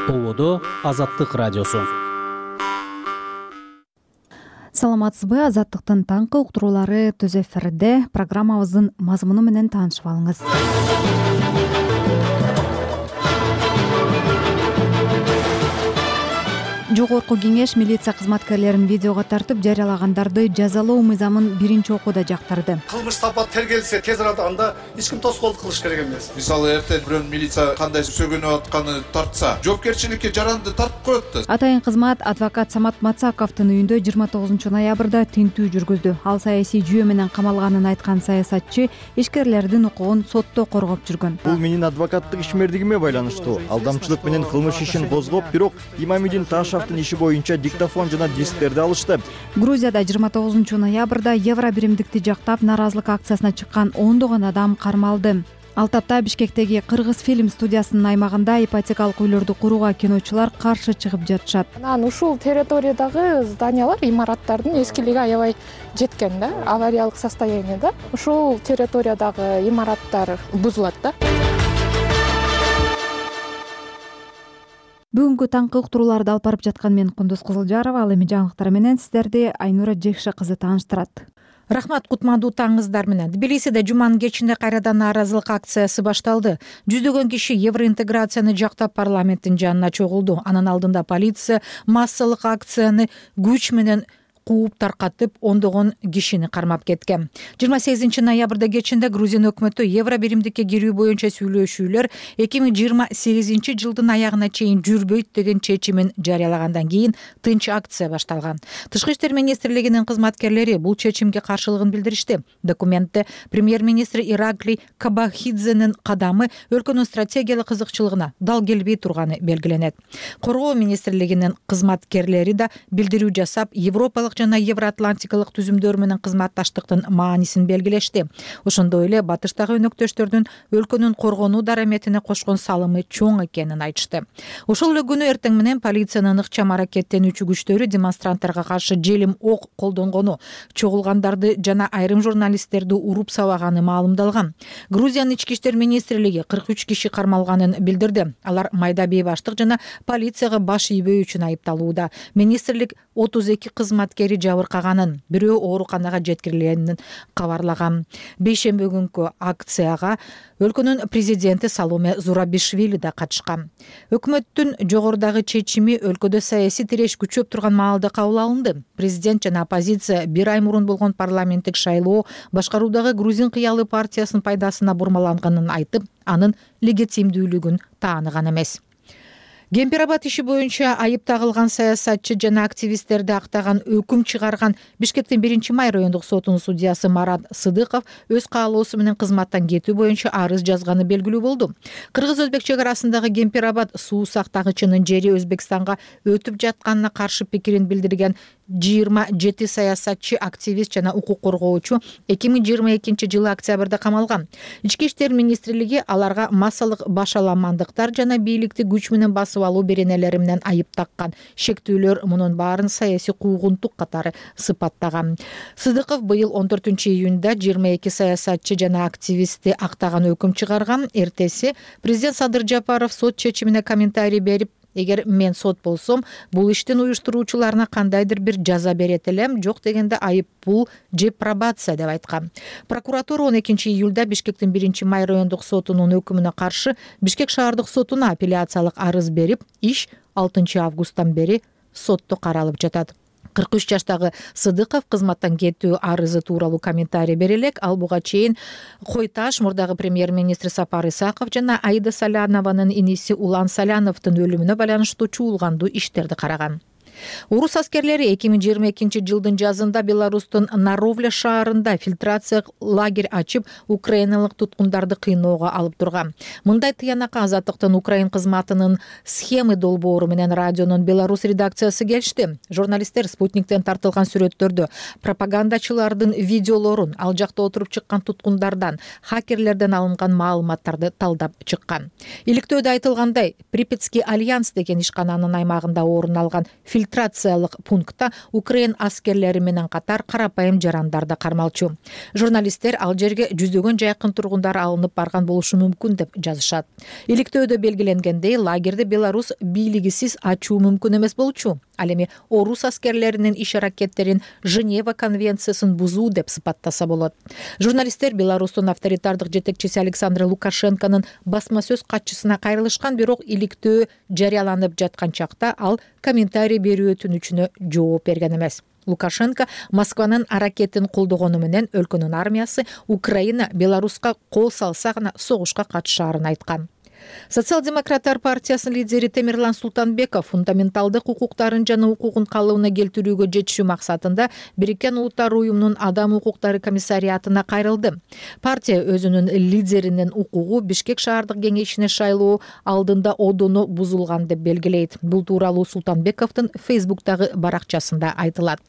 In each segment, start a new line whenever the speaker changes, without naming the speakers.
Болодо Азаттык радиосу.
Саламатсызбы? Азаттыктын таңкы уктуруулары түз эфирде. Программабыздын мазмуну менен таанышып алыңыз. Жогорку кеңеш милиция кызматкерлерин видеого тартып жарыялагандарды жазалоо мыйзамын биринчи окууда жактырды.
Кылмыш сапат тергелсе тез арада анда эч ким тоскоолдук кылыш керек эмес.
Мисалы эртең бирөөнүн милиция кандай сөгөнүп атканы тартса, жоопкерчиликке жаранды тартып коет да.
Атайын кызмат адвокат Самат Мацаковдун үйүндө 29-ноябрда тинтүү жүргүздү. Ал саясий жүйө менен камалганын айткан саясатчы ишкерлердин укугун сотто коргоп жүргөн.
Бул менин адвокаттык ишмердигиме байланыштуу. Алдамчылык менен кылмыш ишин козгоп, бирок Имамидин Таашевдин иши боюнча диктофон жана дисктерди алышты.
Грузияда 29-ноябрда евро биримдикти жактап нааразылык акциясына чыккан ондогон адам кармалды. Ал тапта Бишкектеги Кыргыз фильм студиясынын аймагында ипотекалык үйлөрдү курууга киночулар каршы чыгып жатышат.
Анан ушул территориядагы зданиялар, имараттардын эскилиги аябай жеткен да, авариялык состояниеда. Ушул территориядагы имараттар бузулат да.
Бүгүнкү таңкы уктурууларды алып барып жаткан мен Кундуз Кызылжарова. Ал эми жаңылыктар менен сиздерди Айнура Жекше кызы тааныштырат.
Рахмат, кутмандуу таңыңыздар менен. Тбилисиде жуманын кечинде кайрадан нааразылык акциясы башталды. Жүздөгөн киши евроинтеграцияны жактап парламенттин жанына чогулду. Анын алдында полиция массалык акцияны күч менен кууп таркатып, ондогон кишини кармап кеткен. 28-ноябрда кечинде Грузия өкмөтү евро биримдикке кирүү боюнча сүйлөшүүлөр 2028 жылдын аягына чейин жүрбөйт деген чечимин жарыялагандан кийин тынч акция башталган. Тышкы иштер министрлигинин кызматкерлери бул чечимге каршылыгын билдиришти. Документте премьер-министр Ираклий Кабахидзенин кадамы өлкөнүн стратегиялык кызыкчылыгына дал келбей турганы белгиленет. Коргоо министрлигинин кызматкерлери да билдирүү жасап, европалык жана евроатлантикалык түзүмдөр менен кызматташтыктын маанисин белгилешти. Ошондой эле батыштагы өнөктөштөрдүн өлкөнүн коргонуу дараметине кошкон салымы чоң экенин айтышты. Ошол эле күнү эртең менен полициянын ыкчам аракеттенүүчү күчтөрү демонстранттарга каршы желим ок колдонгону, чогулгандарды жана айрым журналисттерди уруп сабаганы маалымдалган. Грузиянын ички иштер министрлиги 43 киши кармалганын билдирди. Алар майда бейбаштык жана полицияга баш ийбөө үчүн айыпталууда. Министрлик 32 кызматкери жабыркаганын, бирөө ооруканага жеткирилгенин кабарлаган. Бейшемби күнкү акцияга өлкөнүн президенти Саломе Зурабишвили да катышкан. Өкмөттүн жогорудагы чечими өлкөдө саясий тиреш күчөп турган маалда кабыл алынды. Президент жана оппозиция бир ай мурун болгон парламенттик шайлоо башкаруудагы Грузин кыялы партиясынын пайдасына бурмаланганын айтып, анын легитимдүүлүгүн тааныган эмес. Кемпирабад иши боюнча айып тагылган саясатчы жана активисттерди актаган өкүм чыгарган Бишкектин 1-май райондук сотунун судьясы Марат Сыдыков өз каалоосу менен кызматтан кетүү боюнча арыз жазганы белгилүү болду. Кыргыз-өзбек чек арасындагы Кемпирабад суу сактагычынын жери Өзбекстанга өтүп жатканына каршы пикирин билдирген 27 саясатчы, активист жана укук коргоочу 2022 жылы октябрда камалган. Ички иштер министрлиги аларга массалык башаламандыктар жана бийликти күч менен басып алуу беренелери менен айып таккан. Шектүүлөр мунун баарын саясий куугунтук катары сыпаттаган. Сыдыков быйыл 14-июнда 22 саясатчы жана активистти актаган өкүм чыгарган. Эртеси президент Садыр Жапаров сот чечимине комментарий берип, эгер мен сот болсом, бул иштин уюштуруучуларына кандайдыр бир жаза берет элем, жок дегенде айып пул же пробация деп айткан. Прокуратура 12-июлда Бишкектин 1-май райондук сотунун өкүмүнө каршы Бишкек шаардык сотуна апелляциялык арыз берип, иш 6 августтан бери сотто каралып жатат. 43 жаштагы Сыдыков кызматтан кетүү арызы тууралуу комментарий бере элек. Ал буга чейин Койташ, мурдагы премьер-министр Сапар Исаков жана Аида Салянованын иниси Улан Саляновдун өлүмүнө байланыштуу чуулгандуу иштерди караган. Орус аскерлери 2022 жылдын жазында Беларустун Наровля шаарында фильтрация лагерь ачып, украиналык туткундарды кыйноого алып турган. Мындай тыянакка Азаттыктын Украин кызматынын схемы долбоору менен радионун Беларусь редакциясы келишти. Журналисттер Спутниктен тартылган сүрөттөрдү, пропагандачылардын видеолорун, ал жакта отуруп чыккан туткундардан, хакерлерден алынган маалыматтарды талдап чыккан. Иликтөөдө айтылгандай, Припятский альянс деген ишкананын аймагында орун алган фильтрация фильтрациялык пунктта Украин аскерлери менен катар карапайым жарандар да кармалчу. Журналисттер ал жерге жүздөгөн жайкын тургундар алынып барган болушу мүмкүн деп жазышат. Иликтөөдө белгиленгендей, лагерди Беларусь бийлигисиз ачуу мүмкүн эмес болчу. Ал эми орус аскерлеринин иш-аракеттерин Женева конвенциясын бузуу деп сыпаттаса болот. Журналисттер Беларустун авторитардык жетекчиси Александр Лукашенконун басма сөз катчысына кайрылышкан, бирок иликтөө жарыяланып жаткан чакта ал комментарий берүү өтүнүчүнө жооп берген эмес. Лукашенко Москванын аракетин колдогону менен өлкөнүн армиясы Украина Беларуска кол салса гана согушка катышаарын айткан. Социал-демократтар партиясынын лидери Темирлан Султанбеков фундаменталдык укуктарын жана укугун калыбына келтирүүгө жетишүү максатында Бириккен Улуттар уюмунун Адам укуктары комиссариатына кайрылды. Партия өзүнүн лидеринин укугу Бишкек шаардык кеңешине шайлоо алдында одону бузулган деп белгилейт. Бул тууралуу Султанбековдун Фейсбуктагы баракчасында айтылат.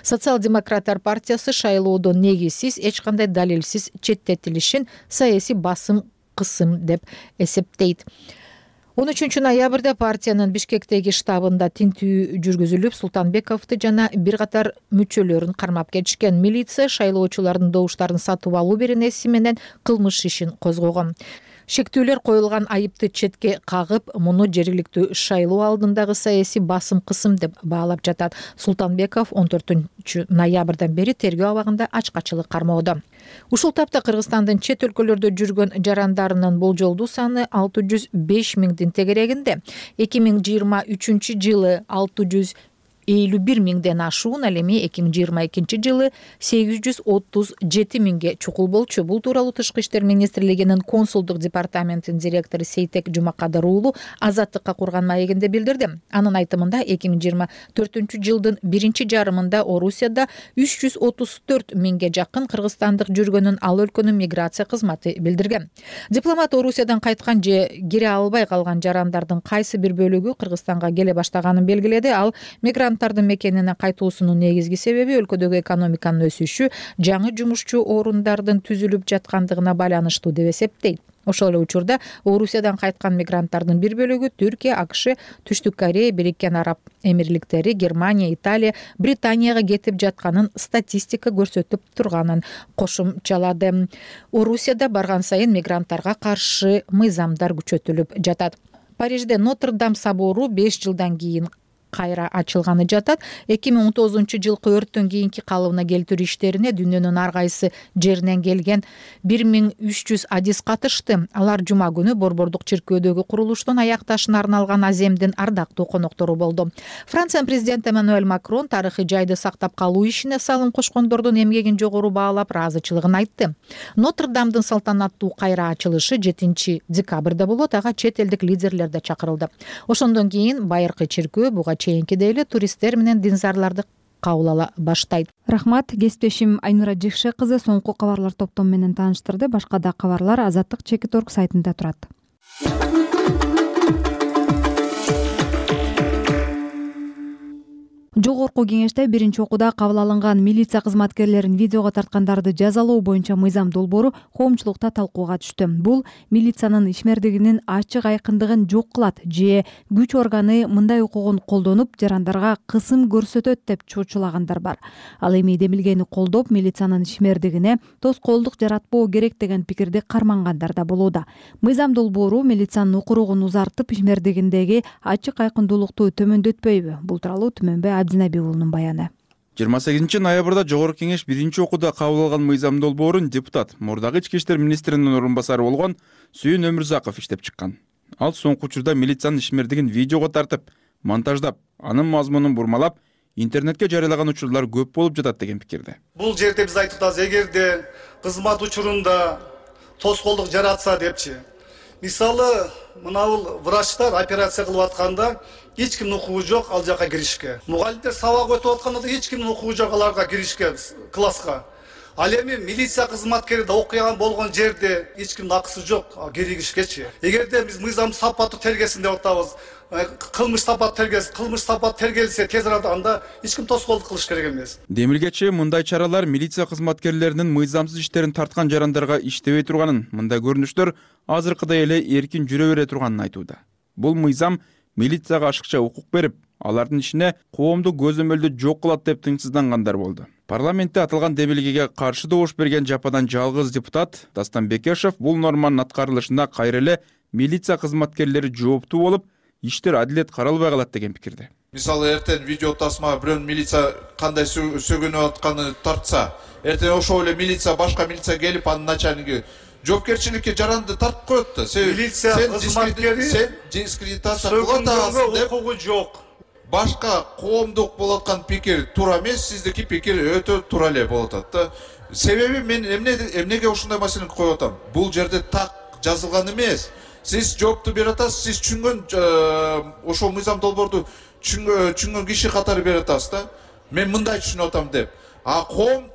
Социал-демократтар партиясы шайлоодон негизсиз, эч кандай далилсиз четтетилишин саясий басым кысым деп эсептейт. 13 ноябрда партиянын Бишкектеги штабында тинтүү жүргүзүлүп, Султанбековду жана бир катар мүчөлөрүн кармап кетишкен. Милиция шайлоочулардын добуштарын сатып алуу беренеси менен кылмыш ишин козгогон. Шектүүлөр коюлган айыпты четке кагып, муну жергиликтүү шайлоо алдындагы саясий басым кысым деп баалап жатат. Султанбеков 14 ноябрдан бери тергөө абагында ачкачылык кармоодо. Ушул тапта Кыргызстандын чет өлкөлөрдө жүргөн жарандарынын болжолдуу саны 605 миңдин тегерегинде. 2023 жылы 651 миңден ашуун, ал эми 2022 жылы 837 миңге чукул болчу. Бул тууралуу Тышкы иштер министрлигинин консулдук департаментинин директору Сейтек Жумакадыр уулу Азаттыкка курган маегинде билдирди. Анын айтымында 2024 жылдын биринчи жарымында Орусияда 334 миңге жакын кыргызстандык жүргөнүн ал өлкөнүн миграция кызматы билдирген. Дипломат Орусиядан кайткан же кире албай калган жарандардын кайсы бир бөлүгү Кыргызстанга келе баштаганын белгиледи. Ал мигранттардын мекенине кайтуусунун негизги себеби өлкөдөгү экономиканын өсүшү, жаңы жумушчу орундардын түзүлүп жаткандыгына байланыштуу деп эсептейт. Ошол эле учурда Орусиядан кайткан мигранттардын бир бөлүгү Түркия, АКШ, Түштүк Корея, Бириккен Араб Эмирликтери, Германия, Италия, Британияга кетип жатканын статистика көрсөтүп турганын кошумчалады. Орусияда барган сайын мигранттарга каршы мыйзамдар күчөтүлүп жатат. Парижде Нотр-Дам собору 5 жылдан кийин кайра ачылганы жатат. 2019 жылкы өрттөн кийинки калыбына келтирүү иштерине дүйнөнүн ар кайсы жеринен келген 1300 адис катышты. Алар жума күнү Борбордук чиркөөдөгү курулуштун аякташына арналган аземдин ардактуу коноктору болду. Франциянын президенти Эммануэль Макрон тарыхый жайды сактап калуу ишине салым кошкондордун эмгегин жогору баалап, ыраазычылыгын айтты. Нотр-Дамдын салтанаттуу кайра ачылышы 7 декабрда болот. Ага чет элдик лидерлер да чакырылды. Ошондон кийин байыркы чиркөө буга чейинкидей эле туристтер менен динзарларды кабыл ала баштайт.
Рахмат, кесиптешим Айнура Жекше кызы соңку кабарлар топтому менен тааныштырды. Башка да кабарлар Азаттык Чекит.орг сайтында турат. Жогорку кеңеште биринчи окууда кабыл алынган милиция кызматкерлерин видеого тарткандарды жазалоо боюнча мыйзам долбоору коомчулукта талкууга түштү. Бул милициянын ишмердигинин ачык айкындыгын жок кылат же күч органы мындай укугун колдонуп жарандарга кысым көрсөтөт деп чочулагандар бар. Ал эми демилгени колдоп, милициянын ишмердигине тоскоолдук жаратпоо керек деген пикирди кармангандар да болууда. Мыйзам долбоору милициянын укуругун узартып, ишмердигиндеги ачык айкындуулукту төмөндөтпөйбү? Бул тууралуу Түмөнбай Абдинабий уулунун баяны.
28 ноябрда Жогорку кеңеш биринчи окууда кабыл алган мыйзам долбоорун депутат, мурдагы ички иштер министринин орун басары болгон Сүйүн Өмүрзаков иштеп чыккан. Ал соңку учурда милициянын ишмердигин видеого тартып, монтаждап, анын мазмунун бурмалап, интернетке жарыялаган учурлар көп болуп жатат деген пикирде.
Бул жерде биз айтып атабыз, эгерде кызмат учурунда тоскоолдук жаратса депчи. Мисалы, мынабул врачтар операция кылып атканда эч кимдин укугу жок ал жака киришке. Мугалимдер сабак өтүп атканда да эч кимдин укугу жок аларга киришке, класска. Ал эми милиция кызматкери да окуян болгон жерде эч кимдин акысы жок киришкечи. Эгерде биз мыйзам сапаттуу тергесин деп атабыз, кылмыш сапат тергелсе тез арада анда эч ким тоскоолдук кылыш керек эмес.
Демилгечи мындай чаралар милиция кызматкерлеринин мыйзамсыз иштерин тарткан жарандарга иштебей турганын, мындай көрүнүштөр азыркыдай эле эркин жүрө бере турганын айтууда. Бул мыйзам милицияга ашыкча укук берип, алардын ишине коомдук көзөмөлдү жок кылат деп тынчсыздангандар болду. Парламентте атылган демилгеге каршы добуш берген жападан жалгыз депутат Дастан Бекешев бул норманын аткарылышына кайра эле милиция кызматкерлери жооптуу болуп, иштер адилет каралбай калат деген пикирде.
Мисалы эртең видео тасма бирөөнүн милиция кандай сөгүнүп атканы тартса, эртең ошол эле милиция башка милиция келип анын начальниги жоопкерчиликке жаранды тартып коет да.
Милиция кызматкери
сен дискредитация кылып атасың деп
укугу жок.
Башка коомдук болуп аткан пикир туура эмес, сиздики пикир өтө туура эле болуп атат да. Себеби мен эмнеге ушундай маселени коюп атам? Бул жерде так жазылган эмес. Сиз жоопту берип атасыз, сиз түшүнгөн ошол мыйзам долбоорду түшүнгөн киши катары берип атасыз да. Мен мындай түшүнүп атам деп. А коом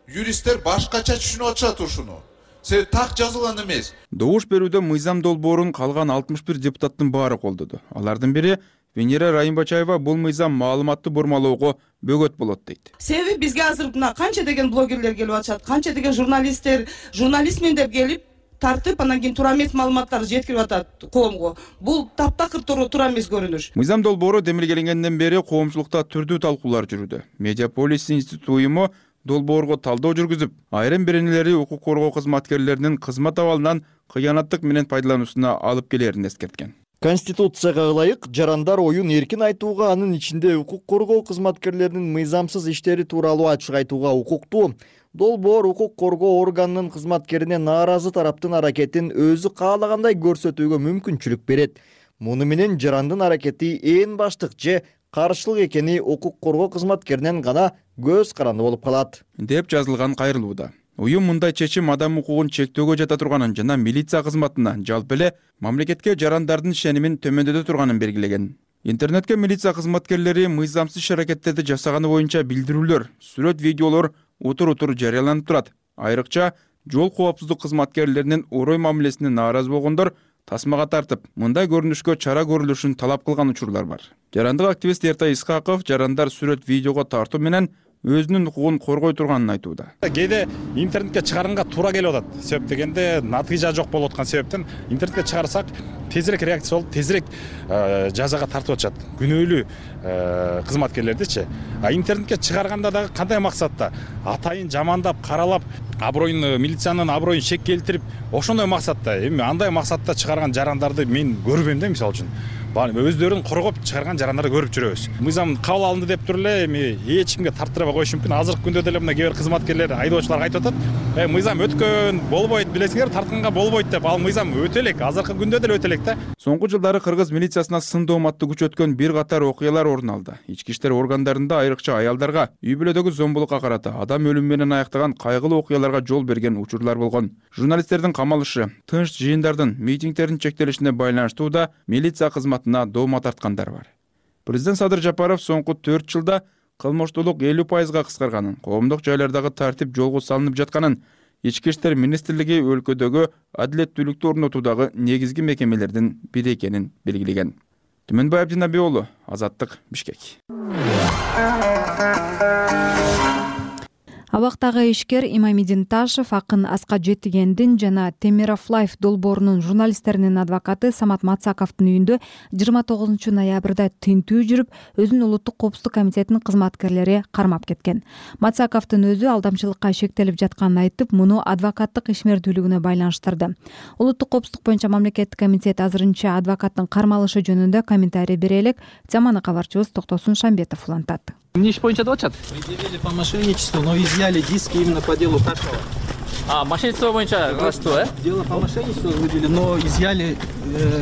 юристтер башкача түшүнүп атышат ушуну. Себеби так жазылган эмес.
Добуш берүүдө мыйзам долбоорун калган 61 депутаттын баары колдоду. Алардын бири Венера Райымбачаева бул мыйзам маалыматты бурмалоого бөгөт болот дейт.
Себеби бизге азыр мына канча деген блогерлер келип атышат, канча деген журналистмен деп келип тартып, анан кийин туура эмес маалыматтарды жеткирип атат коомго. Бул таптакыр туура эмес көрүнүш.
Мыйзам долбоору демилгеленгенден бери коомчулукта түрдүү талкуулар жүрүүдө. Медиаполис институту уюму долбоорго талдоо жүргүзүп, айрым беренелери укук коргоо кызматкерлеринин кызмат абалынан кыянаттык менен пайдалануусуна алып келерин эскерткен.
Конституцияга ылайык жарандар оюн эркин айтууга, анын ичинде укук коргоо кызматкерлеринин мыйзамсыз иштери тууралуу ачык айтууга укуктуу. Долбоор укук коргоо органынын кызматкерине нааразы тараптын аракетин өзү каалагандай көрсөтүүгө мүмкүнчүлүк берет. Муну менен жарандын аракети ээн баштык же каршылык экени укук коргоо кызматкеринен гана көз каранды болуп калат,
деп жазылган кайрылууда. Уюм мындай чечим адам укугун чектөөгө жата турганын жана милиция кызматына, жалпы эле мамлекетке жарандардын ишенимин төмөндөтө турганын белгилеген. Интернетке милиция кызматкерлери мыйзамсыз иш-аракеттерди жасаганы боюнча билдирүүлөр, сүрөт, видеолор утур жарыяланып турат. Айрыкча жол коопсуздук кызматкерлеринин орой мамилесине нааразы болгондор тасмага тартып, мындай көрүнүшкө чара көрүлүшүн талап кылган учурлар бар. Жарандык активист Эртай Исхаков жарандар сүрөт, видеого тартуу менен өзүнүн укугун коргой турганын айтууда.
Кээде интернетке чыгарганга туура келип атат. Себеп дегенде натыйжа жок болуп аткан себептен интернетке чыгарсак тезирээк реакция болуп, тезирээк жазага тартып атышат. Күнөөлүү кызматкерлердичи. А интернетке чыгарганда дагы кандай максатта? Атайын жамандап, каралап, аброюн, милициянын аброюн шек келтирип, ошондой максатта. Эми андай максатта чыгарган жарандарды мен көрбөйм да, мисалы үчүн. Өздөрүн коргоп чыгарган жарандарды көрүп жүрөбүз. Мыйзам кабыл алынды деп туруп эле эми эч кимге тартырбай коюш мүмкүн. Азыркы күндө деле мына кээ бир кызматкерлер, айдоочулар айтып атат, мыйзам өткөн, болбойт, билесиңер, тартканга болбойт деп. Ал мыйзам өтө элек, азыркы күндө деле өтө элек да.
Соңку жылдары кыргыз милициясына сын дооматты күчөткөн бир катар окуялар орун алды. Ички иштер органдарында айрыкча аялдарга үй бүлөдөгү зомбулукка карата, адам өлүмү менен аяктаган кайгылуу окуяларга жол берген учурлар болгон. Журналисттердин камалышы, тынч жыйындардын, митингдердин чектелишине байланыштуу да милиция кызматына доoma тарткандар бар. Президент Садыр Жапаров соңку 4 жылда кылмыштуулук 50%га кыскарганын, коомдук жайлардагы тартип жолго салынып жатканын, Ички иштер министрлиги өлкөдөгү адилеттүүлүктү орнотуудагы негизги мекемелердин бири экенин белгилеген. Түмөнбай Абдинабий уулу, Азаттык, Бишкек.
Абактагы ишкер Имамидин Ташев акын Аска Жетигендин жана Темиров Лайф долбоорунун журналисттеринин адвокаты Самат Мацаковдун үйүндө 29 ноябрда тинтүү жүрүп, өзүнүн улуттук коопсуздук комитетинин кызматкерлери кармап кеткен. Мацаковдун өзү алдамчылыкка шектелип жатканын айтып, муну адвокаттык ишмердүүлүгүнө байланыштырды. Улуттук коопсуздук боюнча мамлекеттик комитет азырынча адвокаттын кармалышы жөнүндө комментарий бере элек. Теманы кабарчыбыз Токтосун Шамбетов улантат.
Мне иш боюнча деп атышат. Предъявили по мошенничеству, но изъяли диски именно по делу Ташева.
Мошенничество боюнча что,
Дело по мошенничеству возбудили, но изъяли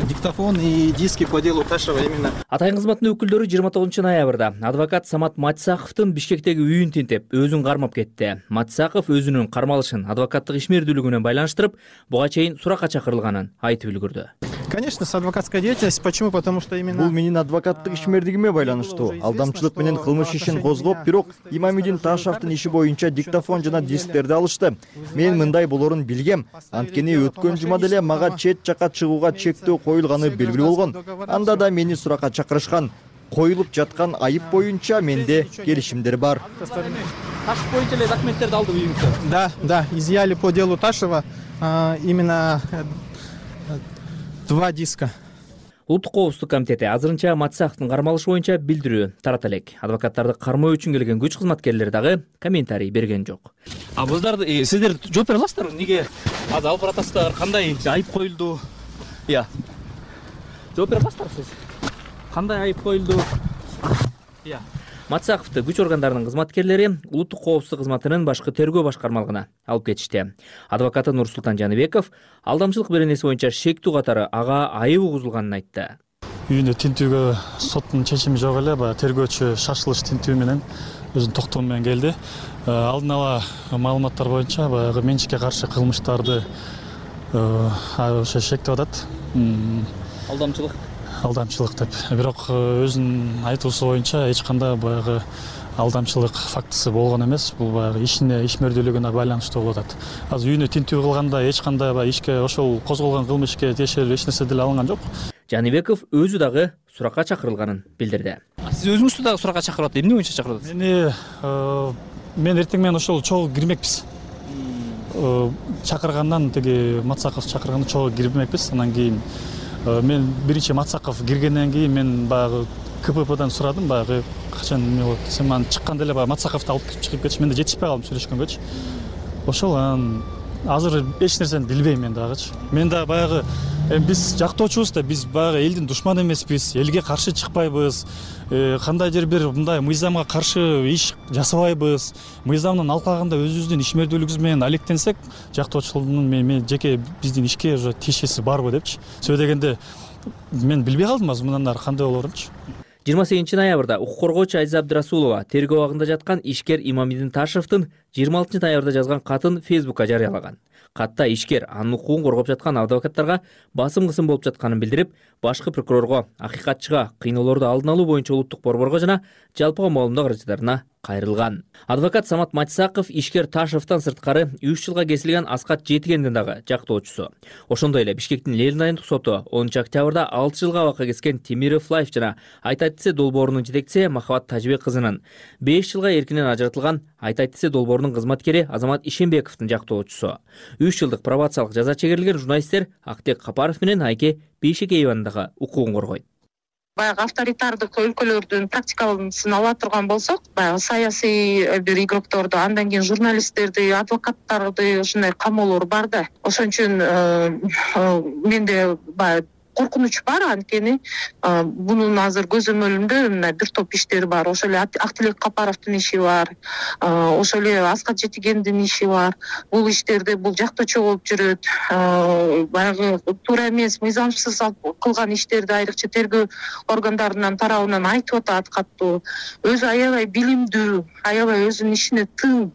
диктофон и диски по делу Ташева именно.
Атайын кызматтын өкүлдөрү 29 ноябрда адвокат Самат Мацаковдун Бишкектеги үйүн тинтеп, өзүн кармап кетти. Мацаков өзүнүн кармалышын адвокаттык ишмердүүлүгүнө байланыштырып, буга чейин суракка чакырылганын айтып үлгүрдү.
Конечно, с адвокатской деятельностью. Почему? Потому что именно...
Бул менин адвокаттык ишмердигиме байланыштуу. Алдамчылык менен кылмыш ишин козгоп, бирок Имамидин Ташевдин иши боюнча диктофон жана дисктерди алышты. Мен мындай болорун билгем. Анткени өткөн жума деле мага чет жакка чыгууга чектөө коюлганы белгилүү болгон. Анда да мени суракка чакырышкан. Коюлуп жаткан айып боюнча менде келишимдер бар.
Ташев боюнча эле документтерди алды үйүңүздө? Да, изъяли по делу Ташева именно 2 диска.
Улуттук коопсуздук комитети азырынча Матсаковдун кармалышы боюнча билдирүү тарата элек. Адвокаттарды кармоо үчүн келген күч кызматкерлери дагы комментарий берген жок.
Сиздер жооп бере аласыздарбы? Эмнеге азыр алып баратасыздар? Кандай айып коюлду? Жооп бере аласыздарбы сиз? Кандай айып коюлду?
Матсаковду күч органдарынын кызматкерлери улуттук коопсуздук кызматынын башкы тергөө башкармалыгына алып кетишти. Адвокаты Нурсултан Жаныбеков алдамчылык беренеси боюнча шектүү катары ага айып угузулганын айтты.
Үйүндө тинтүүгө соттун чечими жок эле, тергөөчү шашылыш тинтүү менен өзүнүн токтому менен келди. Алдын ала маалыматтар боюнча баягы менчикке каршы кылмыштарды ошо шектеп атат. Алдамчылык деп. Бирок өзүнүн айтуусу боюнча эч кандай баягы алдамчылык фактысы болгон эмес. Бул баягы ишмердүүлүгүнө байланыштуу болуп атат. Азыр үйүнө тинтүү кылганда эч кандай ишке ошол козголгон кылмыш ишке тиешелүү эч нерсе деле алынган жок.
Жаныбеков өзү дагы суракка чакырылганын билдирди.
Сиз өзүңүздү дагы суракка чакырып атат. Эмне боюнча чакырып атасыз?
Мен эртең менен ошол чогуу кирмекпиз. Чакыргандан Матсаков чакырганда чогуу кирмекпиз. Анан кийин мен биринчи Матсаков киргенден кийин мен баягы КППдан сурадым, баягы качан эмне болот десем, анан чыкканда эле баягы Матсаковду алып чыгып кетиш. Мен да жетишпей калдым сүйлөшкөнгөчү. Ошол анан азыр эч нерсени билбейм мен дагычы. Мен да баягы биз жактоочубуз да, биз баягы элдин душманы эмеспиз, элге каршы чыкпайбыз. Кандайдыр бир мындай мыйзамга каршы иш жасабайбыз. Мыйзамдын алкагында өзүбүздүн ишмердүүлүгүбүз менен алектенсек, жактоочулугунун мен жеке биздин ишке уже тиешеси барбы депчи. Сөзү дегенде мен билбей калдым азыр мындан ары кандай болорунчу.
28 ноябрда укук коргоочу Азиза Абдырасулова тергөө абагында жаткан ишкер Имамидин Ташевдин 26 ноябрда жазган катын Фейсбукка жарыялаган. Катта ишкер анын укугун коргоп жаткан адвокаттарга басым кысым болуп жатканын билдирип, башкы прокурорго, акыйкатчыга кыйноолорду алдын алуу боюнча улуттук борборго жана жалпыга маалымдоо каражаттарына кайрылган. Адвокат Самат Матсаков ишкер Ташевден сырткары 3 жылга кесилген Аскат Жетигендин дагы жактоочусу. Ошондой эле Бишкектин Ленин айымдык соту 10 октябрда 6 жылга абакка кескен Темиров Лайф жана Айтайтисе долбоорунун жетекчиси Махабат Тажибек кызынын 5 жылга эркинен ажыратылган Айтайтисе долбоорунун кызматкери Азамат Ишенбековдун жактоочусу. 3 жылдык пробациялык жаза чегерилген журналисттер Актек Капаров менен Айке Бейшекееванын дагы укугун коргойт.
Баягы авторитардык өлкөлөрдүн практикасын ала турган болсок, баягы саясий бир игрокторду, андан кийин журналисттерди, адвокаттарды ушундай камоолор бар да. Ошон үчүн менде баягы коркунуч бар, анткени бунун азыр көзөмөлүндө мына бир топ иштер бар. Ошол эле Актилек Капаровдун иши бар, ошол эле Аскат Жетигендин иши бар. Бул иштерде бул жактоочу болуп жүрөт. Баягы туура эмес, мыйзамсыз кылган иштерди айрыкча тергөө органдарынын тарабынан айтып атат каттуу. Өзү аябай билимдүү, аябай өзүнүн ишине тың,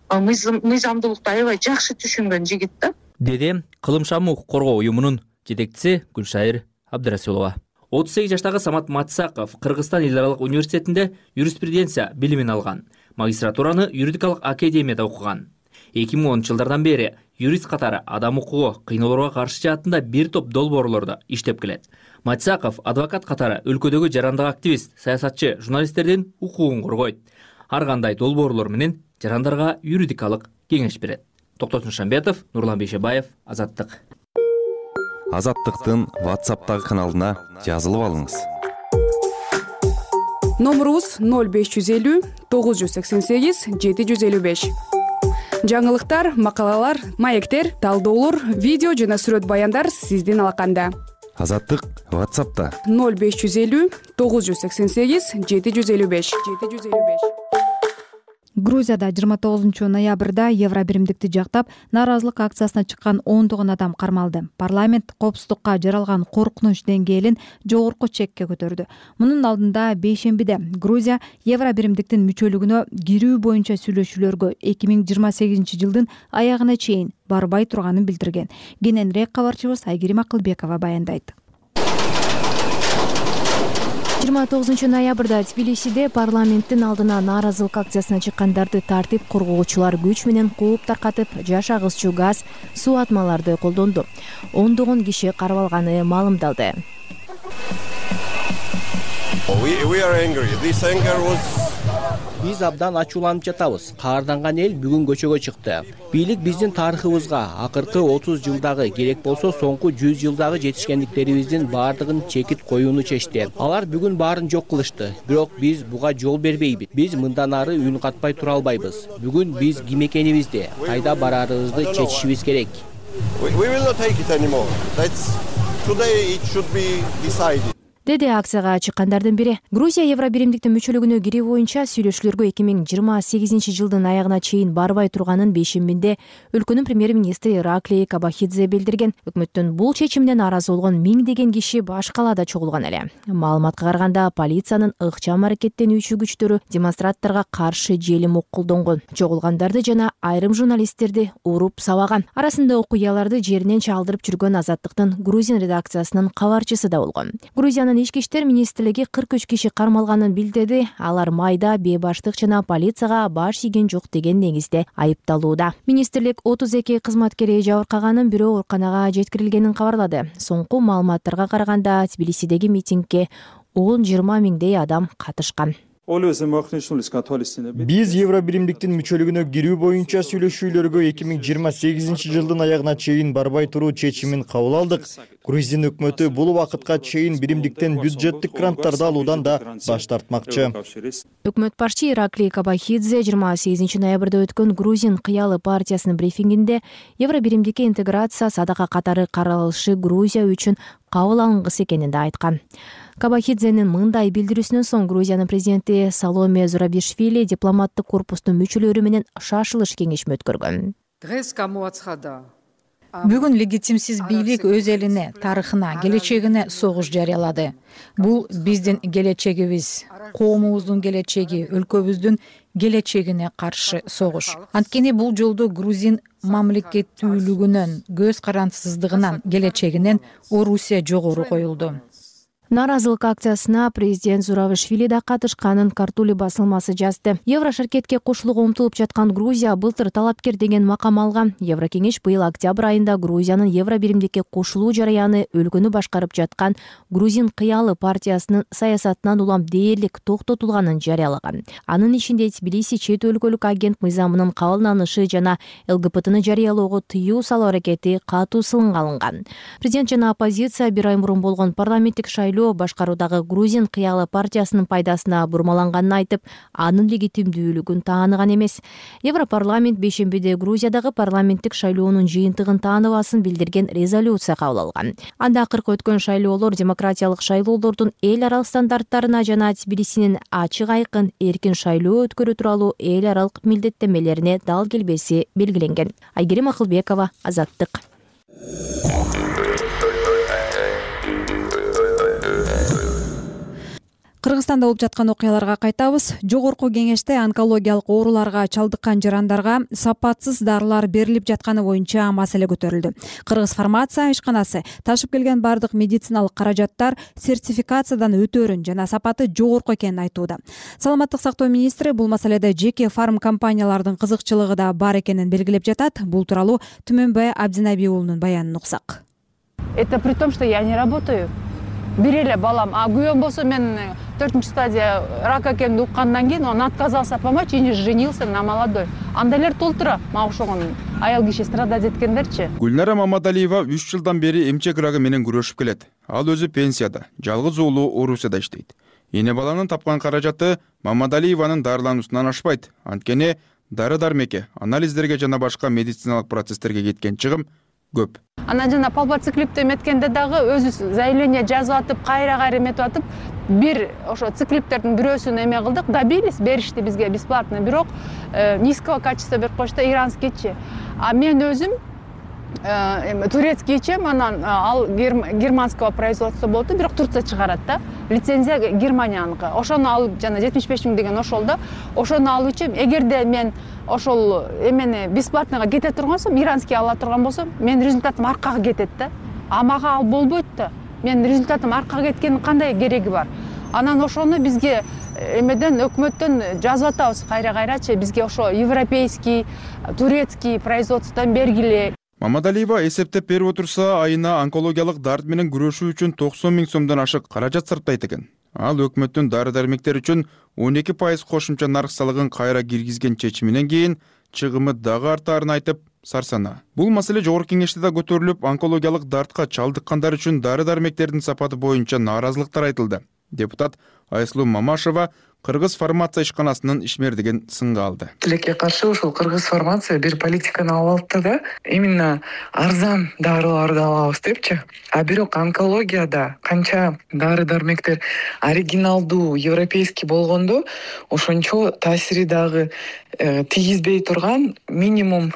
мыйзамдуулукту аябай жакшы түшүнгөн жигит да.
Деди Кылымшам укук коргоо уюмунун жетекчиси Гүлшайыр Абдырасулова. 38 жаштагы Самат Матсаков Кыргызстан эл аралык университетинде юриспруденция билимин алган. Магистратураны юридикалык академияда окуган. 2010 жылдардан бери юрист катары адам укугу, кыйноолорго каршы жаатында бир топ долбоорлордо иштеп келет. Матсаков адвокат катары өлкөдөгү жарандык активист, саясатчы, журналисттердин укугун коргойт. Ар кандай долбоорлор менен жарандарга юридикалык кеңеш берет. Токтосун Шамбетов, Нурлан Бейшебаев, Азаттык.
Азаттыктын WhatsApp'тагы каналына жазылып алыңыз.
Номурубуз 0550 988 755. Жаңылыктар, макалалар, маектер, талдоолор, видео жана сүрөт баяндар сиздин алаканда.
Азаттык WhatsApp'та
0550 988 755.
Грузияда 29 ноябрда евро биримдикти жактап нааразылык акциясына чыккан ондогон адам кармалды. Парламент коопсуздукка жаралган коркунуч деңгээлин жогорку чекке көтөрдү. Мунун алдында бейшембиде Грузия евро биримдиктин мүчөлүгүнө кирүү боюнча сүйлөшүүлөргө 2028 жылдын аягына чейин барбай турганын билдирген. Кененирээк кабарчыбыз Айгерим Акылбекова баяндайт.
29 ноябрда Тбилисиде парламенттин алдына нааразылык акциясына чыккандарды тартип коргоочулар күч менен кууп таркатып, жаш агызчу газ, суу атмаларды колдонду. Ондогон киши кармалганы маалымдалды.
We are angry. This anger was Биз абдан ачууланып жатабыз. Каарданган эл бүгүн көчөгө чыкты. Бийлик биздин тарыхыбызга акыркы 30 жылдагы, керек болсо соңку 100 жылдагы жетишкендиктерибиздин баардыгын чекит коюуну чечти. Алар бүгүн баарын жок кылышты. Бирок биз буга жол бербейбиз. Биз мындан ары үн катпай тура албайбыз. Бүгүн биз ким экенибизди, кайда барарыбызды чечишибиз керек.
Деди акцияга чыккандардын бири. Грузия Евробиримдиктин мүчөлүгүнө кирүү боюнча сүйлөшүүлөргө 2028 жылдын аягына чейин барбай турганын бейшембинде өлкөнүн премьер-министри Ираклий Кобахидзе билдирген. Өкмөттүн бул чечимине нааразы болгон миңдеген киши баш калаада чогулган эле. Маалыматка караганда, полициянын ыкчам аракеттенүүчү күчтөрү демонстранттарга каршы желим оқ колдонгон. Чогулгандарды жана айрым журналисттерди уруп сабаган. Арасында окуяларды жеринен чалдырып жүргөн Азаттыктын Грузин редакциясынын кабарчысы да болгон. Грузиянын Ички иштер министрлиги 43 киши кармалганын билдирди. Алар майда, бейбаштык жана полицияга баш ийген жок деген негизде айыпталууда. Министрлик 32 кызматкери жабыркаганын, бирөө ооруканага жеткирилгенин кабарлады. Соңку маалыматтарга караганда Тбилисидеги митингге 10-20 миңдей адам катышкан.
Биз Евробиримдиктин мүчөлүгүнө кирүү боюнча сүйлөшүүлөргө 2028 жылдын аягына чейин барбай туруу чечимин кабыл алдык. Грузин өкмөтү бул убакытка чейин биримдиктен бюджеттик гранттарды алуудан да баш тартмакчы.
Өкмөт башчы Ираклий Кобахидзе 28 ноябрда өткөн Грузин кыялы партиясынын брифингинде Евробиримдикке интеграция садака катары каралышы Грузия үчүн кабыл алынгысы экенин да айткан. Кобахидзенин мындай билдирүүсүнөн соң Грузиянын президенти Саломе Зурабишвили дипломаттык корпустун мүчөлөрү менен шашылыш кеңешме өткөргөн.
Бүгүн легитимсиз бийлик өз элине, тарыхына, келечегине согуш жарыялады. Бул биздин келечегибиз, коомубуздун келечеги, өлкөбүздүн келечегине каршы согуш. Анткени бул жолдо грузин мамлекеттүүлүгүнөн, көз карансыздыгынан, келечегинен Орусия жогору коюлду.
Нааразылык акциясына президент Зурабишвили да катышканын Картули басылмасы жазды. Еврошаркетке кошулууга умтулуп жаткан Грузия былтыр талапкер деген макам алган. Еврокеңеш быйыл октябрь айында Грузиянын Евробиримдикке кошулуу жарыяны өлкөнү башкарып жаткан Грузин кыялы партиясынын саясатынан улам дээрлик токтотулганын жарыялаган. Анын ичинде Тбилиси чет өлкөлүк агент мыйзамынын кабылданышы жана ЛГБТны жарыялоого тыюу салуу аракети катуу сынга алынган. Президент жана оппозиция бир ай мурун болгон парламенттик шайлоо башкаруудагы Грузин кыялы партиясынын пайдасына бурмаланганын айтып, анын легитимдүүлүгүн тааныган эмес. Европарламент бейшембиде Грузиядагы парламенттик шайлоонун жыйынтыгын тааныбасын билдирген резолюция кабыл алган. Анда акыркы өткөн шайлоолор демократиялык шайлоолордун эл аралык стандарттарына жана Тбилисинин ачык айкын эркин шайлоо өткөрүү тууралуу эл аралык милдеттенмелерине дал келбеси белгиленген. Айгерим Акылбекова, Азаттык.
Кыргызстанда болуп жаткан окуяларга кайтабыз. Жогорку кеңеште онкологиялык ооруларга чалдыккан жарандарга сапатсыз дарылар берилип жатканы боюнча маселе көтөрүлдү. Кыргыз фармация ишканасы ташып келген бардык медициналык каражаттар сертификациядан өтөөрүн жана сапаты жогорку экенин айтууда. Саламаттык сактоо министри бул маселеде жеке фарм компаниялардын кызыкчылыгы да бар экенин белгилеп жатат. Бул тууралуу Түмөнбай Абдинабий уулунун баянын уксак.
Это при том, что я не работаю. Бир эле балам, а күйөөм болсо мен 4-чү стадия рак экенин уккандан кийин он отказался помочь и не женился на молодой. Андайлар толтура, мага ошогон аял киши страдать эткендерчи.
Гүлнара Мамадалиева 3 жылдан бери эмчек рагы менен күрөшүп келет. Ал өзү пенсияда, жалгыз уулу Орусияда иштейт. Эне баланын тапкан каражаты Мамадалиеванын дарылануусунан ашпайт. Анткени дары-дармекке, анализдерге жана башка медициналык процесстерге кеткен чыгым көп.
Анан жана палбоциклипти эметкенде дагы өзү заявление жазып атып, кайра эметип атып, бир ошо циклиптердин бирөөсүн эме кылдык, добились, беришти бизге бесплатно, бирок низкого качества берип коюшту, иранскийчи. А мен өзүм турецкийчи, анан ал германского производства болду, бирок Турция чыгарат да. Лицензия Германияныкы. Ошону алып жана 75 миң деген ошол да. Ошону алуучу эгерде мен ошол эмени бесплатныйга кете тургансам, иранский ала турган болсом, мен результатым аркага кетет да. А мага ал болбойт да. Мен результатым аркага кеткенин кандай кереги бар? Анан ошону бизге эмеден өкмөттөн жазып атабыз кайра-кайрачы, бизге ошо европейский, турецкий производстводан бергиле.
Мамадалиева эсептеп берип отурса, айына онкологиялык дарт менен күрөшүү үчүн 90 миң сомдон ашык каражат сарптайт экен. Ал өкмөттүн дары-дармектер үчүн 12% кошумча нарк салыгын кайра киргизген чечиминен кийин чыгымы дагы артаарын айтып сарсана. Бул маселе жогорку кеңеште да көтөрүлүп, онкологиялык дартка чалдыккандар үчүн дары-дармектердин сапаты боюнча нааразылыктар айтылды. Депутат Айсулуу Мамашева Кыргыз фармация ишканасынын ишмердигин сынга алды.
Тилекке каршы ушул Кыргыз фармация бир политиканы алып алды да, именно арзан дарыларды алабыз депчи. А бирок онкологияда канча дары-дармектер оригиналдуу, европейский болгондо, ошончо таасири дагы тийгизбей турган минимум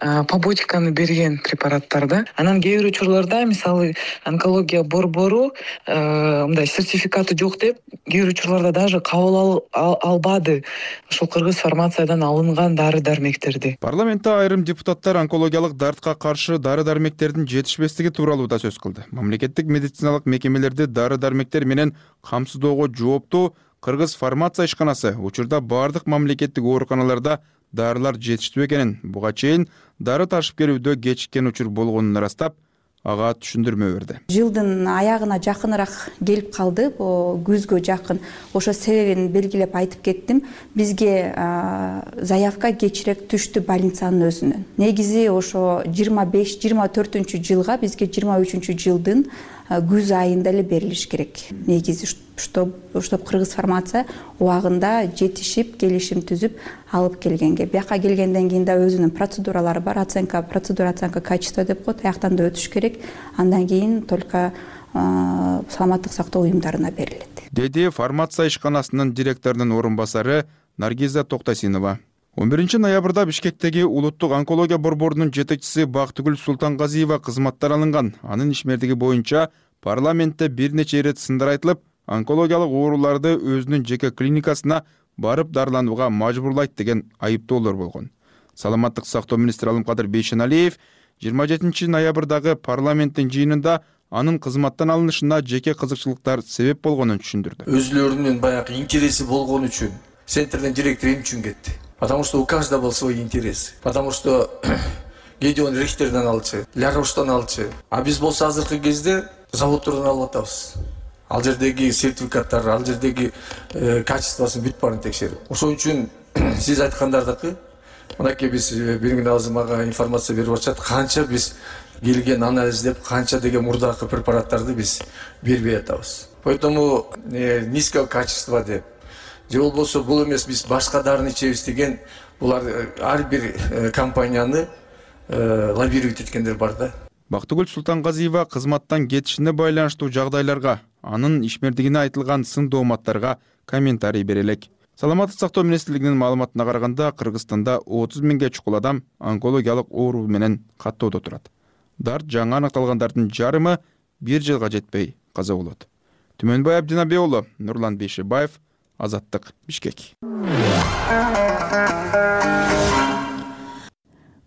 побочканы берген препараттар да. Анан кээ бир учурларда, мисалы, онкология борбору мындай сертификаты жок деп, кээ бир учурларда даже кабыл албады ошол Кыргыз фармациядан алынган дары-дармектерди.
Парламентте айрым депутаттар онкологиялык дартка каршы дары-дармектердин жетишпестиги тууралуу да сөз кылды. Мамлекеттик медициналык мекемелерди дары-дармектер менен камсыздоого жооптуу Кыргыз фармация ишканасы учурда бардык мамлекеттик ооруканаларда дарылар жетиштүү экенин, буга чейин дары ташып келүүдө кечиккен учур болгонун ырастап, ага түшүндүрмө берди.
Жылдын аягына жакыныраак келип калды, күзгө жакын. Ошо себебин белгилеп айтып кеттим. Бизге заявка кечирээк түштү больницанын өзүнөн. Негизи ошо 25-24 жылга бизге 23 жылдын күз айында эле берилиш керек. Негизи чтоб Кыргыз фармация убагында жетишип, келишим түзүп алып келгенге. Бияка келгенден кийин да өзүнүн процедуралары бар, процедура оценка качества деп коет, аяктан да өтүш керек. Андан кийин только саламаттык сактоо уюмдарына берилет.
Деди фармация ишканасынын директорунун орун басары Наргиза Токтосинова. 11 ноябрда Бишкектеги улуттук онкология борборунун жетекчиси Бактыгүл Султангазиева кызматтан алынган. Анын ишмердиги боюнча парламентте бир нече ирет сындар айтылып, онкологиялык ооруларды өзүнүн жеке клиникасына барып дарыланууга мажбурлайт деген айыптоолор болгон. Саламаттык сактоо министри Алымкадыр Бейшеналиев 27 ноябрдагы парламенттин жыйынында анын кызматтан алынышына жеке кызыкчылыктар себеп болгонун түшүндүрдү.
Өзүлөрүнүн баягы интереси болгон үчүн центрдин директору эмне үчүн кетти? Потому что у каждого был свой интерес. Потому что Гедеон Рихтерден алчу, Ляроштан алчу. А биз болсо азыркы кезде заводдордон алып атабыз. Ал жердеги сертификаттар, ал жердеги качествосын бүт баарын текшерип. Ошол үчүн сиз айткандардыкы мынакей биз бир күн азыр мага информация берип атышат, канча биз келген анализдеп, канча деген мурдакы препараттарды биз бербей атабыз. Поэтому низкого качества деп же болбосо бул эмес биз башка дарыны ичебиз деген булар ар бир компанияны лоббировать эткендер бар да.
Бактыгүл Султангазиева кызматтан кетишине байланыштуу жагдайларга, анын ишмердигине айтылган сын дооматтарга комментарий бере элек. Саламаттык сактоо министрлигинин маалыматына караганда, Кыргызстанда 30 миңге чукул адам онкологиялык оору менен каттоодо турат. Дарт жаңы аныкталгандардын жарымы 1 жылга жетпей каза болот. Түмөнбай Абдинабек уулу, Нурлан Бейшебаев, Азаттык, Бишкек.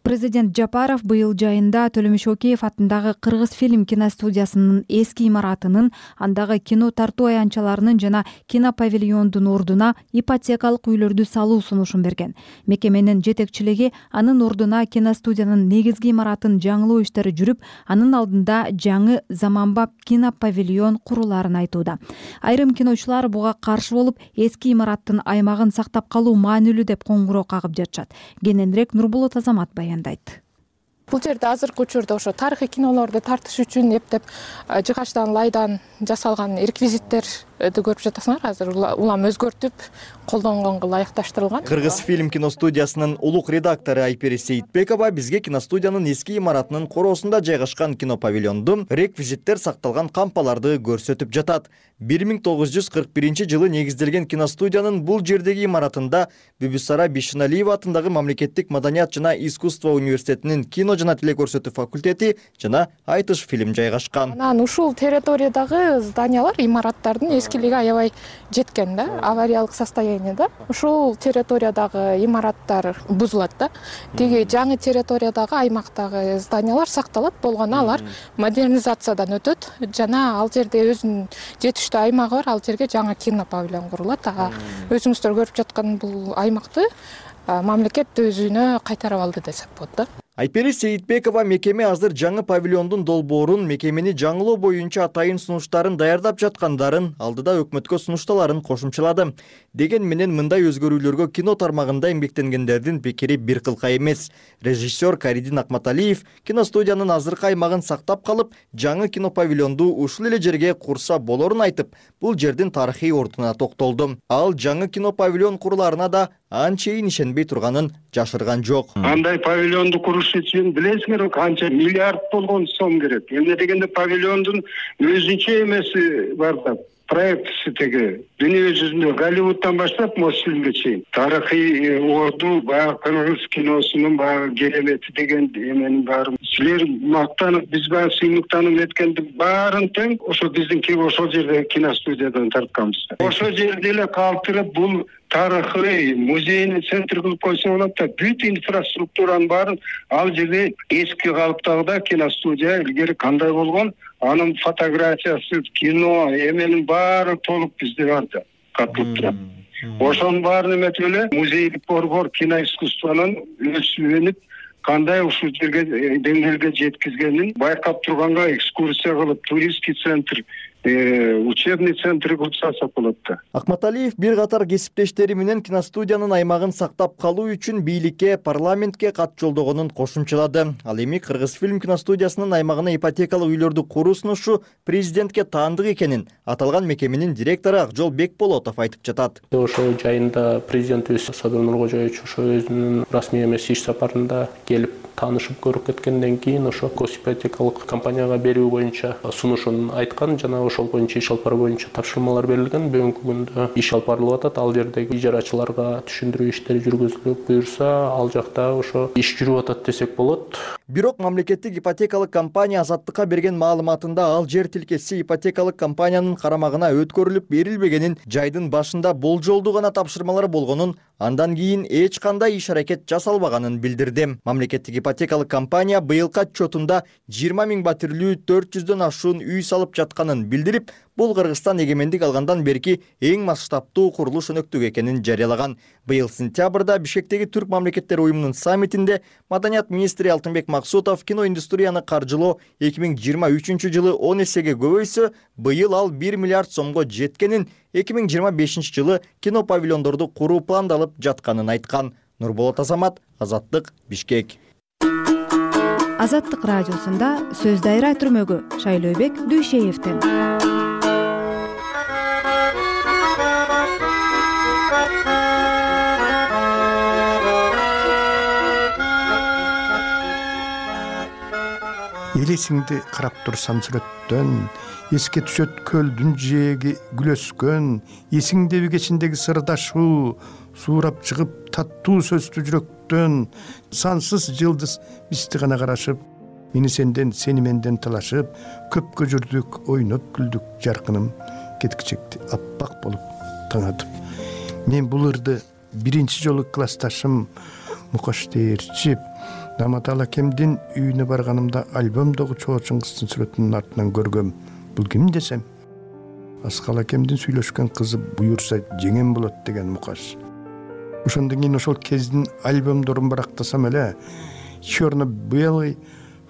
Президент Жапаров быйыл жайында Төлөмүш Океев атындагы Кыргыз фильм киностудиясынын эски имаратынын, андагы кино тартуу аянтчаларынын жана кинопавильондун ордуна ипотекалык үйлөрдү салуу сунушун берген. Мекеменин жетекчилиги анын ордуна киностудиянын негизги имаратын жаңылоо иштери жүрүп, анын алдында жаңы заманбап кинопавильон куруларын айтууда. Айрым киночулар буга каршы болуп, эски имараттын аймагын сактап калуу маанилүү деп коңгуроо кагып жатышат. Кененирээк Нурбулат Азамат баяндайт.
Бул жерде азыркы учурда ошо тарыхый кинолорду тартыш үчүн эптеп жыгачтан лайдан жасалган реквизиттерди көрүп жатасыңар. Азыр улам өзгөртүп, колдонгонго ылайыкташтырылган.
Кыргыз фильм киностудиясынын улук редактору Айпери Сейитбекова бизге киностудиянын эски имаратынын короосунда жайгашкан кинопавильондун реквизиттер сакталган кампаларды көрсөтүп жатат. 1941 жылы негизделген киностудиянын бул жердеги имаратында Бүбүсара Бишеналиева атындагы Мамлекеттик маданият жана искусство университетинин кино жана телекөрсөтүү факультети жана айтыш фильм жайгашкан.
Анан ушул территориядагы зданиялар, имараттардын эскилиги аябай жеткен да, авариялык состояниеда. Ушул территориядагы имараттар бузулат да. Тиги жаңы территориядагы аймактагы зданиялар сакталат, болгону алар модернизациядан өтөт жана ал жерде өзүнүн жетиштүү аймагы бар, ал жерге жаңы кинопавильон курулат. Өзүңүздөр көрүп жаткан бул аймакты мамлекет өзүнө кайтарып алды десек болот да.
Айпери Сейитбекова мекеме азыр жаңы павильондун долбоорун, мекемени жаңылоо боюнча атайын сунуштарын даярдап жаткандарын, алдыда өкмөткө сунушталарын кошумчалады. Деген менен мындай өзгөрүүлөргө кино тармагында эмгектенгендердин пикири бир кылка эмес. Режиссер Каридин Акматалиев киностудиянын азыркы аймагын сактап калып, жаңы кино павильонду ушул эле жерге курса болорун айтып, бул жердин тарыхый ордуна токтолду. Ал жаңы кино павильон куруларына да анчейин ишенбей турганын жашырган жок.
Андай павильонду куруш үчүн билесиңер канча миллиард болгон сом керек. Эмне дегенде павильондун өзүнчө эмеси бар да, проектisi теги дүнүйө жүзүндө Голливудтан баштап Мосфильмге чейин тарыхый орду, баягы кыргыз киносунун баягы керемети деген эменин баары. Силер мактанып, биз баягы сыймыктанып эткендин баарын тең ошо биздин ошол жерде киностудиядан тартканбыз. Ошол жерде эле калтырып бул тарыхый музейный центр кылып койсо болот да, бүт инфраструктуранын баарын ал жерде эски калыптагыда киностудия илгери кандай болгон, анын фотографиясы, кино эменин баары толук бизде бар да, катылып турат. Ошонун баарын эметип эле музейлик борбор киноискусствонун өсүп кандай ушул жерге деңгээлге жеткизгенин байкап турганга экскурсия кылып, туристский центр, учебный центр кылып салсак болот да.
Акматалиев бир катар кесиптештери менен киностудиянын аймагын сактап калуу үчүн бийликке, парламентке кат жолдогонун кошумчалады. Ал эми Кыргызфильм киностудиясынын аймагына ипотекалык үйлөрдү куруу сунушу президентке таандык экенин аталган мекеменин директору Акжол Бекболотов айтып жатат.
Ошо жайында президентибиз Садыр Нуркожоевич ошо өзүнүн расмий эмес иш сапарында келип таанышып көрүп кеткенден кийин ошо госипотекалык компанияга берүү боюнча сунушун айткан, жана ошол боюнча иш алып баруу боюнча тапшырмалар берилген. Бүгүнкү күндө иш алып барылып атат. Ал жердеги ижарачыларга түшүндүрүү иштери жүргүзүлүп, буюрса ал жакта ошо иш жүрүп атат десек болот.
Бирок мамлекеттик ипотекалык компания Азаттыкка берген маалыматында ал жер тилкеси ипотекалык компаниянын карамагына өткөрүлүп берилбегенин, жайдын башында болжолдуу гана тапшырмалар болгонун, андан кийин эч кандай иш-аракет жасалбаганын билдирди. Мамлекеттик ипотекалык компания быйылкы отчетунда 20 000 батирлүү 400дөн ашуун үй салып жатканын билдирип, бул Кыргызстан эгемендик алгандан берки эң масштабтуу курулуш өнөктүгү экенин жарыялаган. Быйыл сентябрда Бишкектеги Түрк мамлекеттери уюмунун саммитинде маданият министри Алтынбек Максутов киноиндустрияны каржылоо 2023 жылы 10 эсеге көбөйсө, быйыл ал 1 миллиард сомго жеткенин, 2025 жылы кино павильондорду куруу пландалып жатканын айткан. Нурболот Азамат, Азаттык, Бишкек.
Азаттык радиосунда сөз дайра түрмөгү Шайлообек Дүйшеевден.
Элесиңди карап турсам сүрөттөн, эске түшөт көлдүн жээги күлөскөн, эсиңдеби кечиндеги сырдашуу, суурап чыгып таттуу сөздүү жүрөктөн, сансыз жылдыз бизди гана карашып, мени сенден, сени менден талашып, көпкө жүрдүк, ойноп күлдүк, жаркыным кеткичекти аппак болуп таңатып. Мен бул ырды биринчи жолу классташым Мукаш Дээрчип Наматал акемдин үйүнө барганымда альбомдогу Чоочун кыздын сүрөтүнүн артынан көргөм. Бул ким десем, Аскал акемдин сүйлөшкөн кызы буюрса жеңем болот деген Мукаш. Ошондон кийин ошол кездин альбомдорун барактасам эле, черно-белый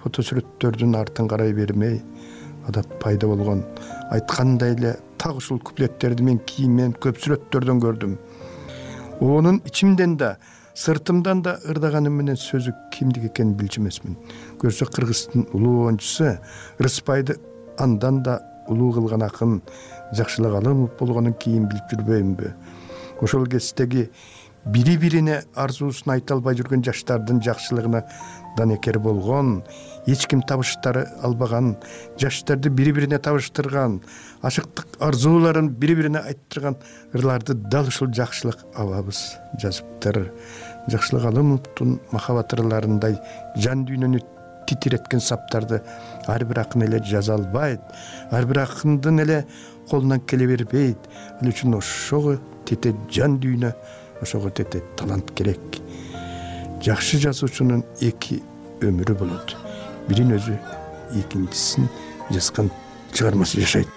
фотосүрөттөрдүн артын карай бермей, адат пайда болгон. Айткандай эле так ушул куплеттерди мен кийинмен көп сүрөттөрдөн көрдүм. Онун ичимден да, сыртымдан да ырдаганым менен сөзү кимдик экенин билчү эмесмин. Көрсө Кыргыздын улуу оюнчусу Рыспайды андан да улуу кылган акын Жакшылык Алымов болгонун кийин билип жүрбөймүнбү? Ошол кездеги бири-бирине арзуусун айта албай жүргөн жаштардын жакшылыгына данекер болгон, эч ким табыштары албаган, жаштарды бири-бирине табыштырган, ашыктык арзууларын бири-бирине айттырган ырларды дал ушул Жакшылык абабыз жазыптыр. Жакшылык Алымовдун махабат ырларындай жан дүйнөнү титиреткен саптарды ар бир акын эле жаза албайт, ар бир акындын эле колунан келе бербейт. Ал үчүн ошого тете жан дүйнө, ошого тете талант керек. Жакшы жазуучунун эки өмүрү болот. Бирин өзү, экинчисин жазган чыгармасы жашайт.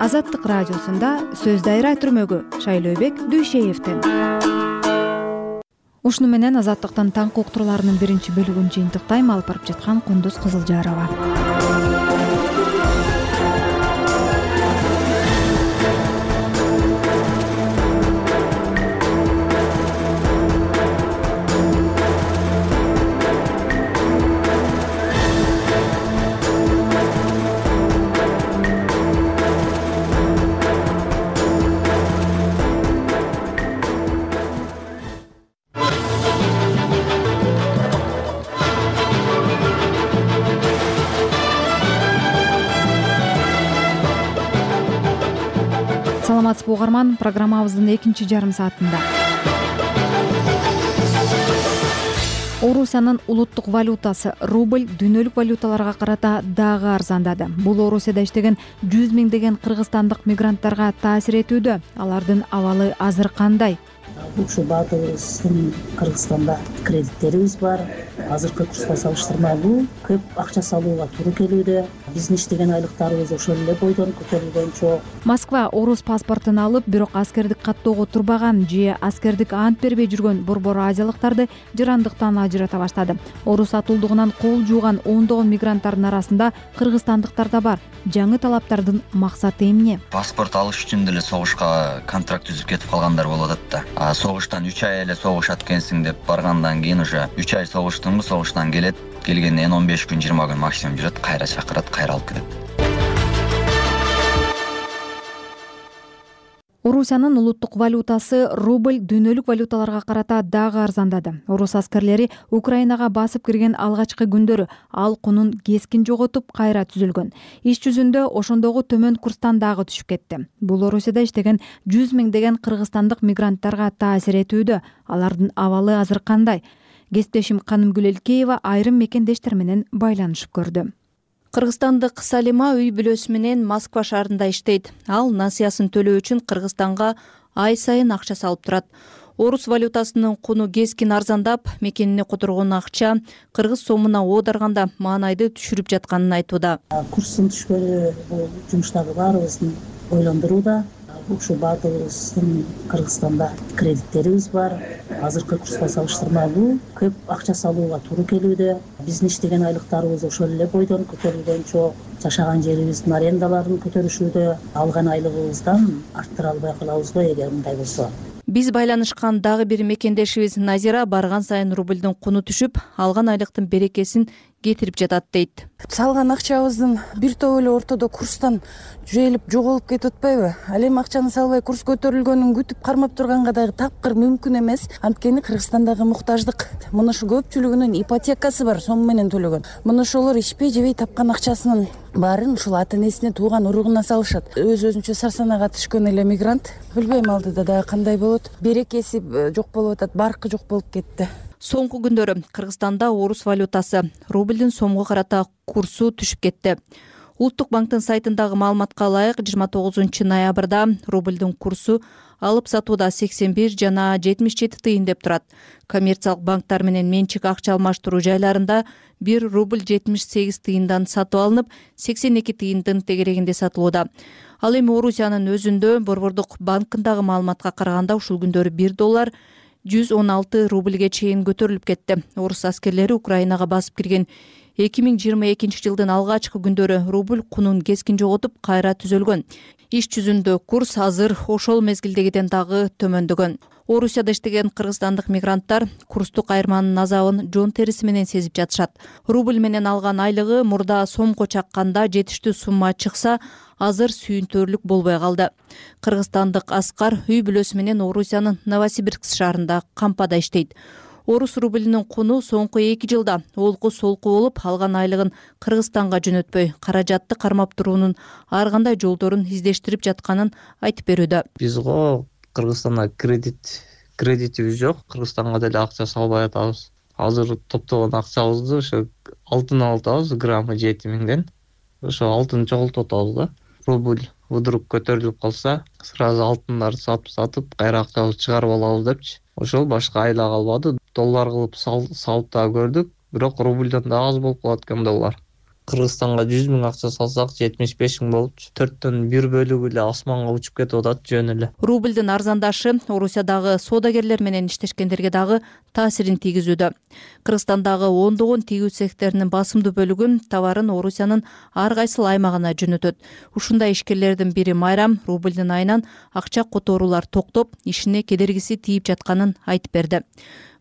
Азаттык радиосунда сөз дайра түрмөгү Шайлообек Дүйшеевден. Ушуну менен Азаттыктын таңкы уктурларынын биринчи бөлүгүн жыйынтыктайм. Алып барып жаткан Кундуз Кызылжарова. Саламатсызбы угарман, программабыздын экинчи жарым саатында. Орусиянын улуттук валютасы рубль дүйнөлүк валюталарга карата дагы арзандады. Бул Орусияда иштеген 100 миңдеген кыргызстандык мигранттарга таасир этүүдө. Алардын абалы азыр кандай?
Ушул баатыбыздын Кыргызстанда кредиттерибиз бар. Азыркы курска салыштырмалуу көп акча салууга туура келүүдө. Биздин иштеген айлыктарыбыз ошол эле бойдон көтөрүлгөн чоң.
Москва орус паспортун алып, бирок аскердик каттоого турбаган же аскердик ант бербей жүргөн борбор азиялыктарды жырандыктан ажырата баштады. Орус атуулдугунан кол жууган ондогон мигранттардын арасында кыргызстандыктар да бар. Жаңы талаптардын максаты эмне?
Паспорт алыш үчүн деле согушка контракт түзүп кетип калгандар болуп атат да. Согуштан 3 ай эле согушат экенсиң деп баргандан кийин уже 3 ай согуштуңбу, согуштан келет, келгенден 15 күн 20 күн максимум жүрөт, кайра чакырат, кайра алып кетет.
Орусиянын улуттук валютасы рубль дүйнөлүк валюталарга карата дагы арзандады. Орус аскерлери Украинага басып кирген алгачкы күндөрү ал кунун кескин жоготуп кайра түзүлгөн. Иш жүзүндө ошондогу төмөн курстан дагы түшүп кетти. Бул Орусияда иштеген 100 миңдеген кыргызстандык мигранттарга таасир этүүдө. Алардын абалы азыр кандай? Кесиптешим Канымгүл Элкеева айрым мекендештер менен байланышып көрдү.
Кыргызстандык Салима үй бүлөсү менен Москва шаарында иштейт. Ал насыясын төлөө үчүн Кыргызстанга ай сайын акча салып турат. Орус валютасынын куну кескин арзандап, мекенине которгон акча кыргыз сомуна оодарганда маанайды түшүрүп жатканын айтууда.
Курстун түшкөнү бул жумуштагы баарыбыздын ойлондурууда. Ушул баатыбыздын Кыргызстанда кредиттерибиз бар. Азыркы курска салыштырмалуу көп акча салууга туура келүүдө. Биздин иштеген айлыктарыбыз ошол эле бойдон көтөрүлгөн чоң. Жашаган жерибиздин арендаларын көтөрүшүүдө. Алган айлыгыбыздан арттыра албай калабызбы эгер мындай болсо?
Биз байланышкан дагы бир мекендешибиз Назира барган сайын рубльдун куну түшүп, алган айлыктын берекесин кетирип жатат дейт.
Салган акчабыздын бир тобу эле ортодо курстан жүйелип жоголуп кетип атпайбы? Ал эми акчаны салбай курс көтөрүлгөнүн күтүп кармап турганга дагы тапкыр мүмкүн эмес. Анткени Кыргызстандагы муктаждык мына ушу көпчүлүгүнүн ипотекасы бар, сом менен төлөгөн. Мына ошолор ишпей жебей тапкан акчасынын баарын ушул ата энесине, тууган уругуна салышат. Өзүнчө сарсанага түшкөн эле мигрант, билбейм алдыда дагы кандай болот. Берекеси жок болуп атат, баркы жок болуп кетти.
Соңку күндөрү Кыргызстанда орус валютасы рубльдин сомго карата курсу түшүп кетти. Улуттук банктын сайтындагы маалыматка ылайык 29 ноябрда рубльдин курсу алып сатууда 81 жана 77 тыйын деп турат. Коммерциялык банктар менен менчик акча алмаштыруу жайларында 1 рубль 78 тыйындан сатып алынып, 82 тыйындын тегерегинде сатылууда. Ал эми Орусиянын өзүндө Борбордук банкындагы маалыматка караганда ушул күндөрү 1 доллар 116 рубльге чейин көтөрүлүп кетти. Орус аскерлери Украинага басып кирген 2022 жылдын алгачкы күндөрү рубль кунун кескин жоготуп кайра түзөлгөн. Иш жүзүндө курс азыр ошол мезгилдегиден дагы төмөндөгөн. Орусияда иштеген кыргызстандык мигранттар курстук айырманын азабын жон териси менен сезип жатышат. Рубль менен алган айлыгы мурда сомго чакканда жетиштүү сумма чыкса, азыр сүйүнтөрлүк болбой калды. Кыргызстандык Аскар үй бүлөсү менен Орусиянын Новосибирск шаарында кампада иштейт. Орус рублинин куну соңку 2 жылда олку солку болуп, алган айлыгын Кыргызстанга жөнөтпөй, каражатты кармап туруунун ар кандай жолдорун издештирип жатканын айтып берүүдө.
Биз Кыргызстанда кредитибиз жок, Кыргызстанга деле акча салбай атабыз. Азыр топтогон акчабызды ошо алтын алып атабыз, граммы 7 миңден. Ошо алтын чогултуп атабыз да. Рубль вдруг көтөрүлүп калса, сразу алтындарды сатып, кайра акчабызды чыгарып алабыз депчи. Ошол башка айла калбады. Доллар кылып салып да көрдүк, бирок рубльдан да аз болуп калат экен доллар. Кыргызстанга 100 000 акча салсак 75 000 болупчу. 4төн 1 бөлүгү эле асманга учуп кетип атат жөн эле.
Рубльдин арзандашы Орусиядагы соодагерлер менен иштешкендерге дагы таасирин тийгизүүдө. Кыргызстандагы ондогон тигүү цехтеринин басымдуу бөлүгү товарын Орусиянын ар кайсыл аймагына жөнөтөт. Ушундай ишкерлердин бири Майрам рубльдин айынан акча которуулар токтоп, ишине кедергиси тийип жатканын айтып берди.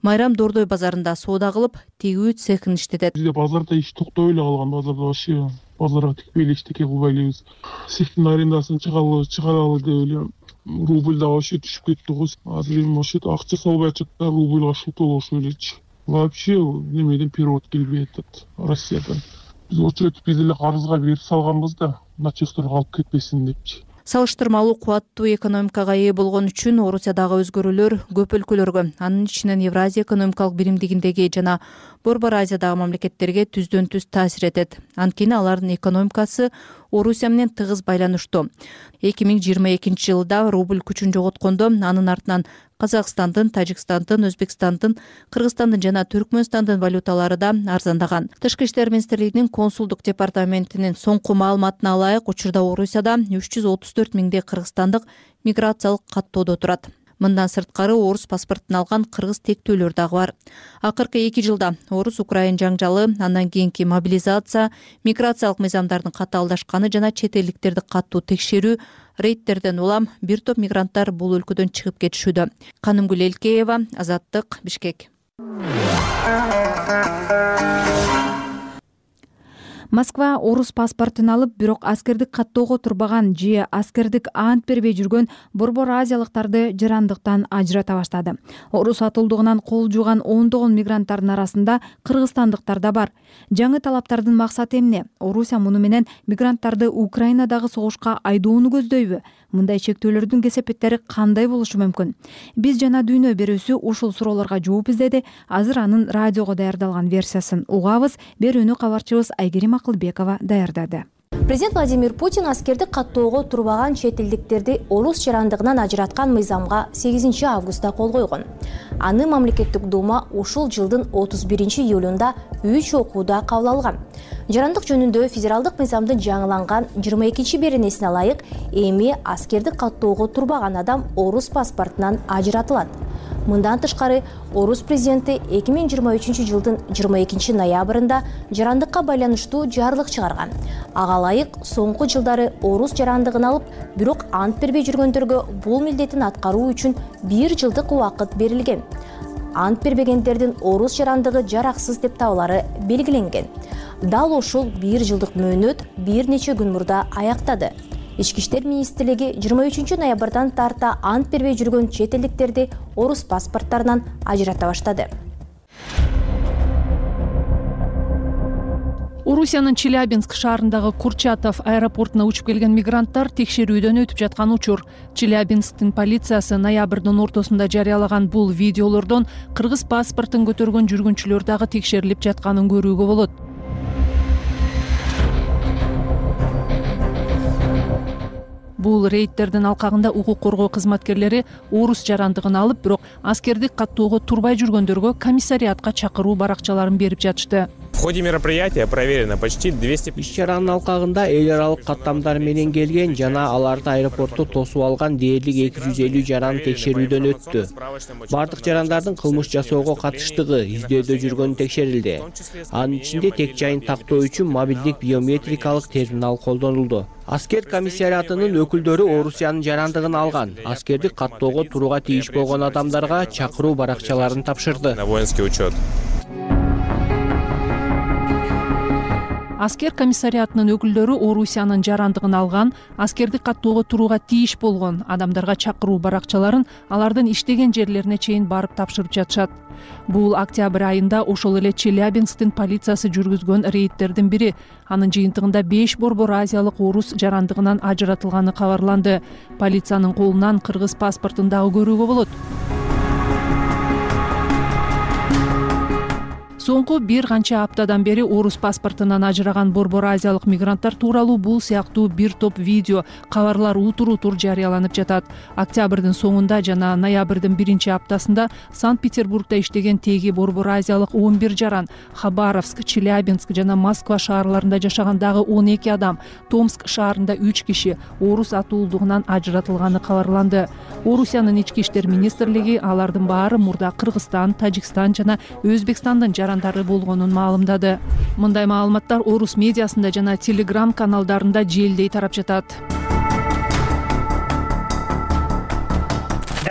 Майрам Дордой базарында соода кылып, тигүү цехин иштетет.
Бизде базарда иш токтой эле калган, базарда вообще базарга тикпей эле эчтеке кылбай элебиз. Цехтин арендасын чыгаралы деп эле рубль да вообще түшүп кетти го. Азыр эми вообще акча салбай атат да, рубльга шутул ошо элечи. Вообще немеден перевод келбей атат Россиядан. Биз очередь биз эле карызга берип салганбыз да, начальстволорго алып кетпесин депчи.
Салыштырмалуу кубаттуу экономикага ээ болгон үчүн Орусиядагы өзгөрүүлөр көп өлкөлөргө, анын ичинен Евразия экономикалык биримдигиндеги жана Борбор Азиядагы мамлекеттерге түздөн түз таасир этет. Анткени алардын экономикасы Орусия менен тыгыз байланыштуу. 2022 жылда рубль күчүн жоготкондо анын артынан Казакстандын, Тажикстандын, Өзбекстандын, Кыргызстандын жана Түркмөнстандын валюталары да арзандаган. Тышкы иштер министрлигинин консулдук департаментинин соңку маалыматына ылайык, учурда Орусияда 334 000 кыргызстандык миграциялык каттоодо турат. Мындан сырткары орус паспортун алган кыргыз тектүүлөр дагы бар. Акыркы 2 жылда орус-украин жаңжалы, андан кийинки мобилизация, миграциялык мыйзамдардын катаалдашканы жана чет элдиктерди каттуу текшерүү, рейдтерден улам бир топ мигранттар бул өлкөдөн чыгып кетишүүдө. Канымгүл Элкеева, Азаттык, Бишкек.
Москва орус паспортун алып, бирок аскердик каттоого турбаган же аскердик ант бербей жүргөн Борбор Азиялыктарды жарандыктан ажырата баштады. Орус атылдыгынан кол жууган ондогон мигранттардын арасында кыргызстандыктар да бар. Жаңы талаптардын максаты эмне? Орусия муну менен мигранттарды Украинадагы согушка айдоону көздөйбү? Мындай чектөөлөрдүн кесепеттери кандай болушу мүмкүн? Биз жана Дүйнө берүүсү ушул суроолорго жооп издеди. Азыр анын радиого даярдалган версиясын угабыз. Берүүнү кабарчыбыз Айгерим Акылбекова даярдады.
Президент Владимир Путин аскердик каттоого турбаган чет элдиктерди орус жарандыгынан ажыраткан мыйзамга 8 августта кол койгон. Аны мамлекеттик дума ушул жылдын 31 июлунда 3 окууда кабыл алган. Жарандык жөнүндө федералдык мыйзамдын жаңыланган 22 беренесине ылайык, эми аскердик каттоого турбаган адам орус паспортунан ажыратылат. Мындан тышкары, орус президенти 2023 жылдын 22 ноябрында жарандыкка байланыштуу жарлык чыгарган. Ага ылайык, соңку жылдары орус жарандыгын алып, бирок ант бербей жүргөндөргө бул милдетин аткаруу үчүн 1 жылдык убакыт берилген. Ант бербегендердин орус жарандыгы жараксыз деп табылары белгиленген. Дал ушул 1 жылдык мөөнөт бир нече күн мурда аяктады. Ички иштер министрлиги 23 ноябрдан тарта ант бербей жүргөн чет элдиктерди орус паспорттарынан ажырата баштады.
Орусиянын Челябинск шаарындагы Курчатов аэропортуна учуп келген мигранттар текшерүүдөн өтүп жаткан учур. Челябинсктин полициясы ноябрдын ортосунда жарыялаган бул видеолордон кыргыз паспортун көтөргөн жүргүнчүлөр дагы текшерилип жатканын көрүүгө болот. Бул рейдтердин алкагында укук коргоо кызматкерлери орус жарандыгын алып, бирок аскердик каттоого турбай жүргөндөргө комиссариатка чакыруу баракчаларын берип жатышты.
В ходе мероприятия проверено почти 200.
Иш-чаранын алкагында эл аралык каттамдар менен келген жана аларды аэропортто тосуп алган дээрлик 250 жаран текшерүүдөн өттү. Бардык жарандардын кылмыш жасоого катыштыгы издөөдө жүргөнү текшерилди. Анын ичинде тек жайын тактоо үчүн мобилдик биометрикалык терминал колдонулду. Аскер комиссариатынын өкүлдөрү Орусиянын жарандыгын алган, аскердик каттоого турууга тийиш болгон адамдарга чакыруу баракчаларын тапшырды.
На воинский учет.
Аскер комиссариатынын өкүлдөрү Орусиянын жарандыгын алган, аскердик каттоого турууга тийиш болгон адамдарга чакыруу баракчаларын алардын иштеген жерлерине чейин барып тапшырып жатышат. Бул октябрь айында ошол эле Челябинсктин полициясы жүргүзгөн рейдтердин бири. Анын жыйынтыгында 5 Борбор Азиялык орус жарандыгынан ажыратылганы кабарланды. Полициянын колунан кыргыз паспортун дагы көрүүгө болот. Соңку бир канча аптадан бери орус паспортунан ажыраган борбор азиялык мигранттар тууралуу бул сыяктуу бир топ видео, кабарлар утур жарыяланып жатат. Октябрдын соңунда жана ноябрдын 1-аптасында Санкт-Петербургда иштеген теги борбор азиялык 11 жаран, Хабаровск, Челябинск жана Москва шаарларында жашаган дагы 12 адам, Томск шаарында 3 киши орус атуулдугунан ажыратылганы кабарланды. Орусиянын ички иштер министрлиги алардын баары мурда Кыргызстан, Тажикстан жана Өзбекстандын жарандары болгонун маалымдады. Мындай маалыматтар орус медиасында жана Telegram каналдарында желдей тарап жатат.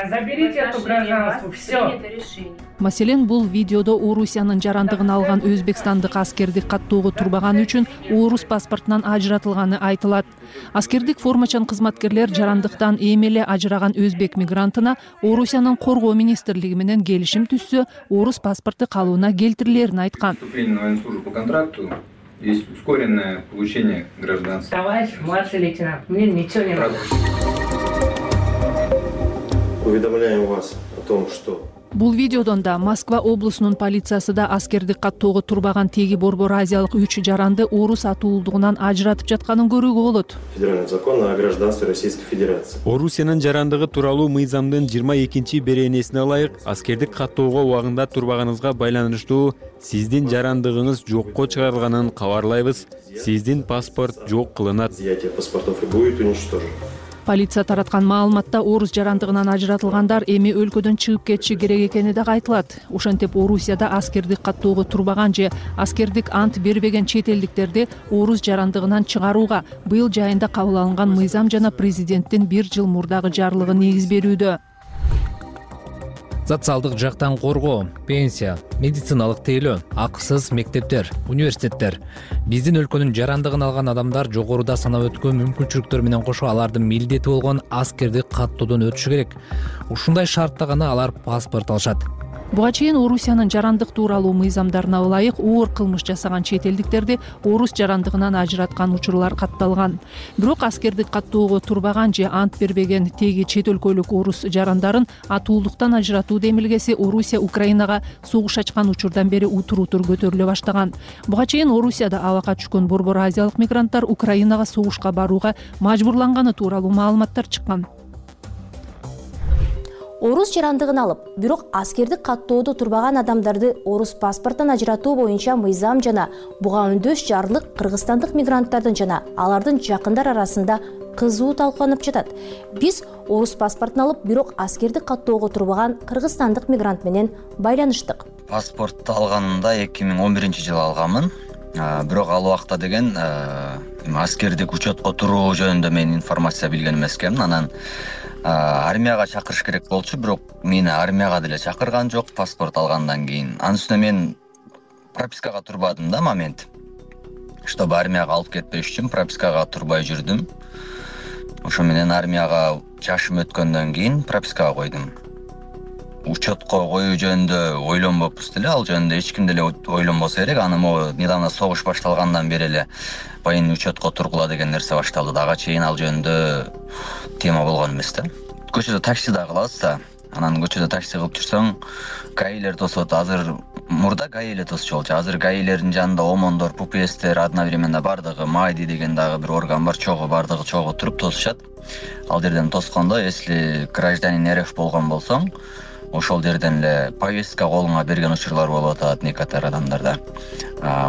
Заберите эту гражданство, все.
Маселен, бул видеодо Орусиянын жарандыгын алган өзбекстандык аскердик каттоого турбаганы үчүн орус паспортунан ажыратылганы айтылат. Аскердик формачан кызматкерлер жарандыктан эми эле ажыраган өзбек мигрантына Орусиянын коргоо министрлиги менен келишим түзсө, орус паспорту калууна келтирилерин айткан.
Вступление на военную службу по контракту есть ускоренное получение гражданства.
Товарищ младший лейтенант, мне ничего не надо.
Уведомляем вас о том, что
Бул видеодон да Москва облусунун полициясы да аскердик каттоого турбаган теги борбор азиялык 3 жаранды орус атуулдугунан ажыратып жатканын көрүүгө болот.
Федеральный закон о гражданстве Российской Федерации.
Орусиянын жарандыгы тууралуу мыйзамдын 22-беренесине ылайык аскердик каттоого убагында турбаганыңызга байланыштуу сиздин жарандыгыңыз жокко чыгарылганын кабарлайбыз. Сиздин паспорт жок кылынат.
Изъятие паспортов и будет уничтожено.
Полиция тараткан маалыматта орус жарандыгынан ажыратылгандар эми өлкөдөн чыгып кетиши керек экени да айтылат. Ошентип Орусияда аскердик каттоого турбаган же аскердик ант бербеген чет элдиктерди орус жарандыгынан чыгарууга быйыл жайында кабыл алынган мыйзам жана президенттин 1 жыл мурдагы жарлыгы негиз берүүдө.
Социалдык жактан коргоо, пенсия, медициналык тейлөө, акысыз мектептер, университеттер. Биздин өлкөнүн жарандыгын алган адамдар жогоруда санап өткөн мүмкүнчүлүктөр менен кошо алардын милдети болгон аскердик каттоодон өтүшү керек. Ушундай шартта гана алар паспорт алышат.
Буга чейин Орусиянын жарандык тууралуу мыйзамдарына ылайык оор кылмыш жасаган чет элдиктерди орус жарандыгынан ажыраткан учурлар катталган. Бирок аскердик каттоого турбаган же ант бербеген теги чет өлкөлүк орус жарандарын атуулдуктан ажыратуу демилгеси Орусия Украинага согуш ачкан учурдан бери утур көтөрүлө баштаган. Буга чейин Орусияда абакка түшкөн борбор азиялык мигранттар Украинага согушка барууга мажбурланганы тууралуу маалыматтар чыккан.
Орус жарандыгын алып, бирок аскердик каттоодо турбаган адамдарды орус паспортунан ажыратуу боюнча мыйзам жана буга өндөш жарлык кыргызстандык мигранттардын жана алардын жакындар арасында кызуу талкууланып жатат. Биз орус паспортун алып, бирок аскердик каттоого турбаган кыргызстандык мигрант менен байланыштык.
Паспорту алганымда 2011-жылы алганмын. Бирок ал убакта деген аскердик учетко туруу жөнүндө мен информация билген эмес экенмин. Анан армияга чакырыш керек болчу, бирок мени армияга деле чакырган жок паспорт алгандан кийин. Анын үстүнө мен пропискага турбадым да момент. Чтобы армияга алып кетпеш үчүн пропискага турбай жүрдүм. Ошо менен армияга жашым өткөндөн кийин пропискага койдум. Учетко коюу жөнүндө ойлонбоппуз деле, ал жөнүндө эч ким деле ойлонбосо керек. Аны могу недавно согуш башталгандан бери эле военный учетко тургула деген нерсе башталды. Дага чейин ал жөнүндө тема болгон эмес да. Көчөдө такси да кылабыз да. Анан көчөдө такси кылып жүрсөң, гаилер тосот. Азыр мурда гаи эле тосчу болчу. Азыр гаилердин жанында омондор, пупестер, одновременно бардыгы майди деген дагы бир орган бар, чогуу бардыгы чогуу туруп тосушат. Ал жерден тоскондо, если гражданин РФ болгон болсоң, ошол жерден эле повестка колуңа берген учурлар болуп атат некотор адамдарда.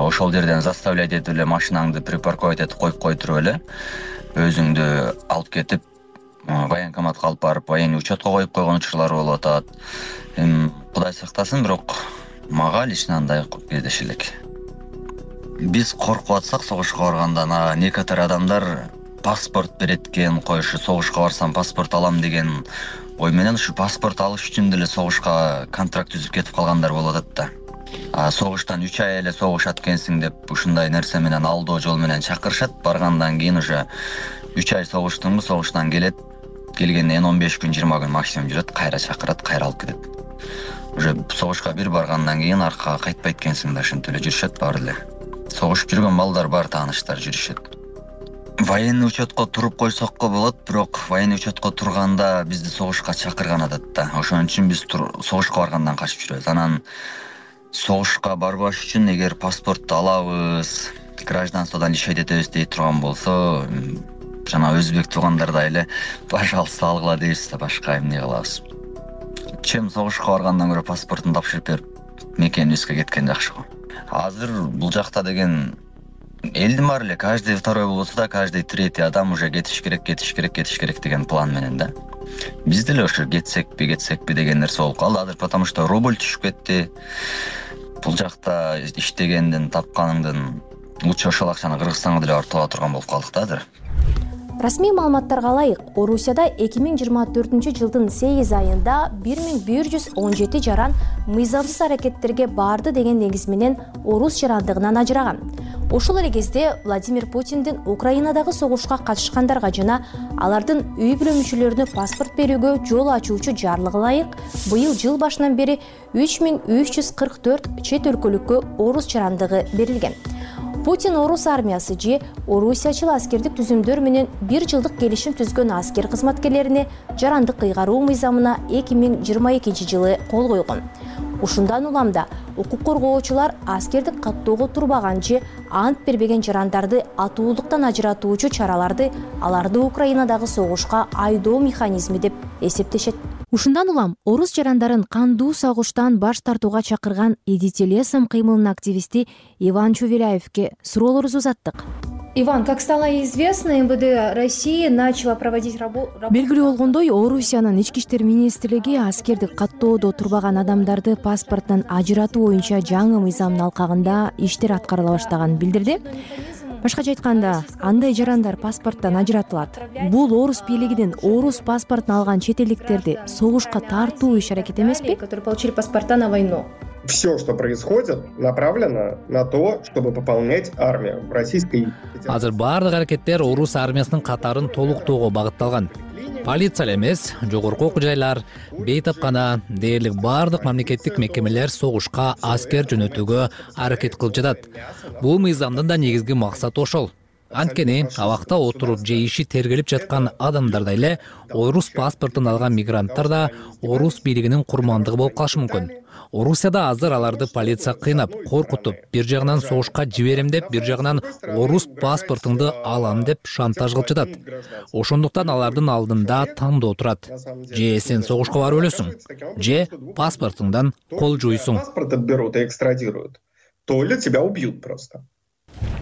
Ошол жерден заставлять этип эле машинаңды припарковать этип коюп туруп эле өзүңдү алып кетип военкоматка алып барып военный учетко коюп койгон учурлар болуп атат. Кудай сактасын, бирок мага лично андай кездеши элек. Биз коркуп атсак согушка баргандан некотор адамдар паспорт берет экен, коюшу согушка барсам паспорт алам деген ой менен ушу паспорт алыш үчүн деле согушка контракт түзүп кетип калгандар болуп атат да. Согуштан 3 ай эле согушат экенсиң деп ушундай нерсе менен алдоо жол менен чакырышат. Баргандан кийин уже 3 ай согуштуңбу, согуштан келет. Келгенден 15 күн, 20 күн максимум жүрөт, кайра чакырат, кайра алып кетет. Уже согушка бир баргандан кийин аркага кайтпайт экенсиң да, ошентип эле жүрүшөт баары эле. Согушуп жүргөн балдар бар, тааныштар жүрүшөт. Военный учетко туруп койсокко болот, бирок военный учетко турганда бизди согушка чакырган атат да. Ошон үчүн биз согушка баргандан качып жүрөбүз. Анан согушка барбаш үчүн эгер паспортду алабыз, гражданстводон ишейт этебиз дей турган болсо, жана өзбек туугандардай эле пожалуйста алгыла дейбиз да, башка эмне кылабыз. Чем согушка баргандан көрө паспортун тапшырып берип мекенибизге кеткен жакшы го. Азыр бул жакта деген элдин баары эле каждый второй болбосо да каждый третий адам уже кетиш керек деген план менен да. Биз деле ошо кетсекпи деген нерсе болуп калды азыр, потому что рубль түшүп кетти. Бул жакта иштегенден тапканыңдын лучше ошол акчаны Кыргызстанга деле барып тала турган болуп калдык да азыр.
Расмий маалыматтарга ылайык, Орусияда 2024-жылдын 8 айында 1117 жаран мыйзамсыз аракеттерге барды деген негиз менен орус жарандыгынан ажыраган. Ошол эле кезде Владимир Путиндин Украинадагы согушка катышкандарга жана алардын үй бүлө мүчөлөрүнө паспорт берүүгө жол ачуучу жарлыгы ылайык быйыл жыл башынан бери 3344 чет өлкөлүккө орус жарандыгы берилген. Путин орус армиясы же орусиячыл аскердик түзүмдөр менен 1 жылдык келишим түзгөн аскер кызматкерлерине жарандык кыйгаруу мыйзамына 2022 жылы кол койгон. Ушундан улам да укук коргоочулар аскердик каттоого турбаган же ант бербеген жарандарды атуулуктан ажыратуучу чараларды аларды Украинадагы согушка айдоо механизми деп эсептешет.
Ушундан улам орус жарандарын кандуу согуштан баш тартууга чакырган Идите лесом кыймылынын активисти Иван Чувеляевке суроолорубузду узаттык.
Иван, как стало известно, МВД России начала проводить работу...
Белгилүү болгондой, Орусиянын ички иштер министрлиги аскердик каттоодо турбаган адамдарды паспорттон ажыратуу боюнча жаңы мыйзамдын алкагында иштер аткарыла баштаганын билдирди. Башкача айтканда, андай жарандар паспорттон ажыратылат. Бул орус бийлигинин орус паспортун алган чет элдиктерди согушка тартуу иш-аракет эмеспи?
Которые получили паспорта на войну.
Все, что происходит, направлено на то, чтобы пополнять армию в Российской Федерации.
Азыр баардык аракеттер орус армиясынын катарын толуктоого багытталган. Полиция эмес, жогорку окуу жайлар, бейтапкана дээрлик баардык мамлекеттик мекемелер согушка аскер жөнөтүүгө аракет кылып жатат. Бул мыйзамдын да негизги максаты ошол. Анткени абакта отуруп же иши тергелип жаткан адамдардай эле орус паспортун алган мигранттар да орус бийлигинин курмандыгы болуп калышы мүмкүн. Орусияда азыр аларды полиция кыйнап, коркутуп, бир жагынан согушка жиберем деп, бир жагынан орус паспортуңду алам деп шантаж кылып жатат. Ошондуктан алардын алдында тандоо турат. Же сен согушка барып өлөсүң, же паспортуңдан кол жуйсуң.
Паспорт берут и экстрадируют. То ли тебя убьют просто.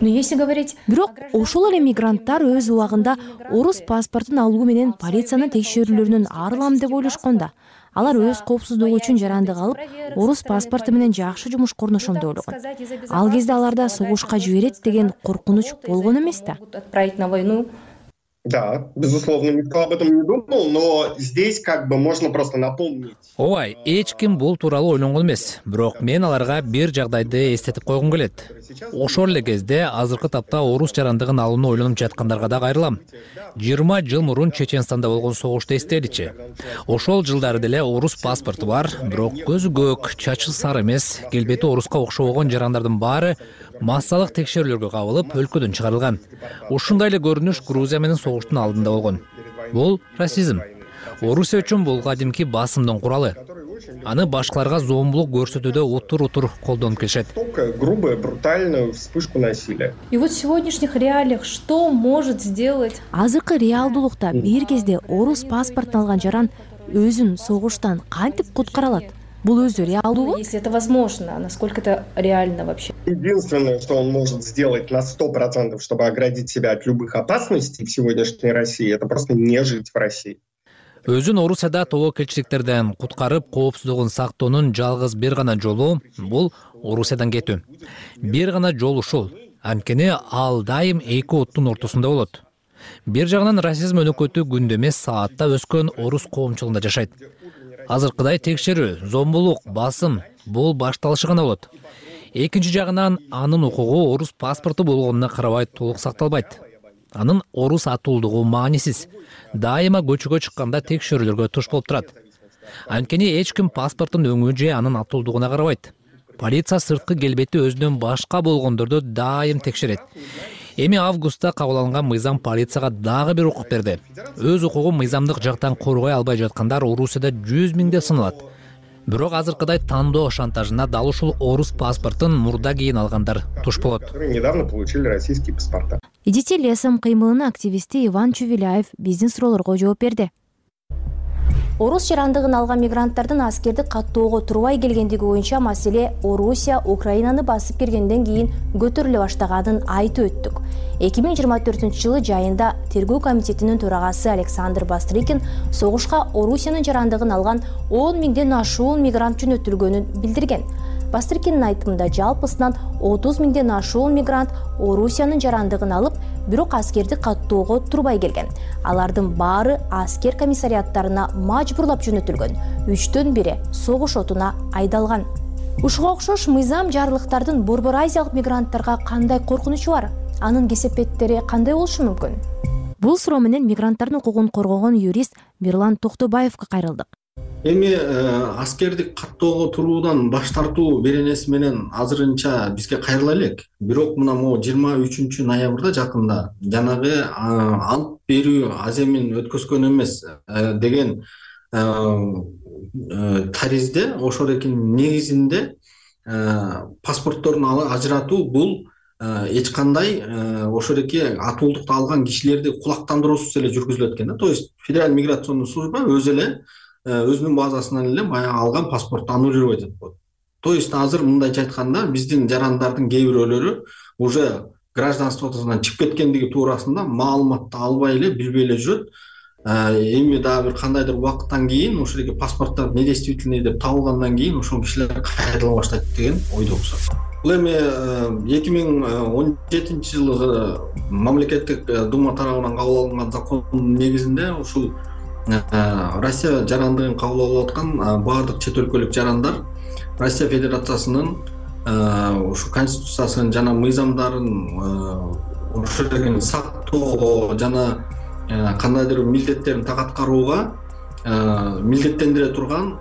Но если говорить...
Бирок ошол эле мигранттар өз убагында орус паспортун алуу менен полициянын текшерүүлөрүнөн арылам деп ойлошкон да. Алар өз коопсуздугу үчүн жарандык алып, орус паспорту менен жакшы жумушка орношом деп ойлогон. Ал кезде аларда согушка жиберет деген коркунуч болгон эмес да.
Отправить на войну.
Да, безусловно, никто об этом не думал, но здесь как бы можно просто напомнить.
Ой, эч ким бул тууралуу ойлонгон эмес. Бирок мен аларга бир жагдайды эстетип койгум келет. Ошол эле кезде азыркы тапта орус жарандыгын алууну ойлонуп жаткандарга да кайрылам. 20 жыл мурун Чеченстанда болгон согушту эстеличи. Ошол жылдары деле орус паспорту бар, бирок көзү көк, чачы сары эмес, келбети оруска окшобогон жарандардын баары массалык текшерүүлөргө кабылып, өлкөдөн чыгарылган. Ушундай эле көрүнүш Грузия менен согуштун алдында болгон. Бул расизм. Орусия үчүн бул кадимки басымдын куралы. Аны башкаларга зомбулук көрсөтүүдө утур колдонуп келишет.
Грубая, брутальная вспышку насилия.
И вот в сегодняшних реалиях что может сделать?
Азыркы реалдуулукта бир кезде орус паспортун алган жаран өзүн согуштан кантип куткара алат? Бул өзү реалдуулук?
Если это возможно, насколько это реально вообще?
Единственное, что он может сделать на 100%, чтобы оградить себя от любых опасностей в сегодняшней России, это просто не жить в России.
Өзүн Орусияда тобокелчиликтерден куткарып, коопсуздугун сактоонун жалгыз бир гана жолу бул Орусиядан кетүү. Бир гана жол ушул. Анткени ал дайым эки оттун ортосунда болот. Бир жагынан расизм өнөкөтү күндө эмес саатта өскөн орус коомчулугунда жашайт. Азыркыдай текшерүү, зомбулук, басым бул башталышы гана болот. Экинчи жагынан анын укугу орус паспорту болгонуна карабай толук сакталбайт. Анын орус атуулдугу маанисиз. Дайыма көчөгө чыкканда текшерүүлөргө туш болуп турат. Анткени эч ким паспорттун өңү же анын атуулдугуна карабайт. Полиция сырткы келбети өзүнөн башка болгондорду дайым текшерет. Эми августта кабыл алынган мыйзам полицияга дагы бир укук берди. Өз укугун мыйзамдык жактан коргой албай жаткандар Орусияда 100 миңде саналат. Бирок азыркыдай тандоо шантажына дал ушул орус паспортун мурда кийин алгандар туш болот.
Недавно получили российские паспорта.
идите лесом кыймылынын активисти Иван Чувеляев биздин суроолорго жооп берди.
Орус жарандыгын алган мигранттардын аскерди каттоого турбай келгендиги боюнча маселе Орусия Украинаны басып киргенден кийин көтөрүлө баштаганын айтып өттүк. 2024-жылы жайында тергөө комитетинин төрагасы Александр Бастрыкин согушка Орусиянын жарандыгын алган 10 миңден ашуун мигрант жөнөтүлгөнүн билдирген. Бастрыкиндин айтымында жалпысынан 30 миңден ашуун мигрант Орусиянын жарандыгын алып, бирок аскерди каттоого турбай келген. Алардын баары аскер комиссариаттарына мажбурлап жөнөтүлгөн. 3төн бири согуш отуна айдалган. Ушуга окшош мыйзам жарлыктардын Борбор Азиялык мигранттарга кандай коркунучу бар? Анын кесепеттери кандай болушу мүмкүн?
Бул суроо менен мигранттардын укугун коргогон юрист Мирлан Токтобаевга кайрылдык.
Эми аскерди каттоого туруудан баш тартуу беренеси менен азырынча бизге кайрыла элек. Бирок мына могу 23 ноябрда жакында жанагы ант берүү аземин өткөзгөн эмес деген таризде ошол экинин негизинде паспортторун ажыратуу бул эч кандай ошол эки атуулукту алган кишилерди кулактандыруусуз эле жүргүзүлөт экен. То есть Федеральный миграционный служба өзү эле өзүнүн базасынан эле баягы алган паспортту аннулировать этип коет. То есть азыр мындайча айтканда биздин жарандардын кээ бирөөлөрү уже гражданствосунан чыгып кеткендиги туурасында маалыматты албай эле билбей эле жүрөт. Эми дагы бир кандайдыр убакыттан кийин ошол эки паспорттор недействительный деп табылгандан кийин ошол кишилер кайрыла баштайт деген ойдобуз. Бул эми 2017-жылы мамлекеттик дума тарабынан кабыл алынган закондун негизинде ушул Россия жарандыгын кабыл алып аткан баардык чет өлкөлүк жарандар Россия Федерациясынын ушу конституциясын жана мыйзамдарын ошол сактоого жана кандайдыр милдеттерин так аткарууга милдеттендире турган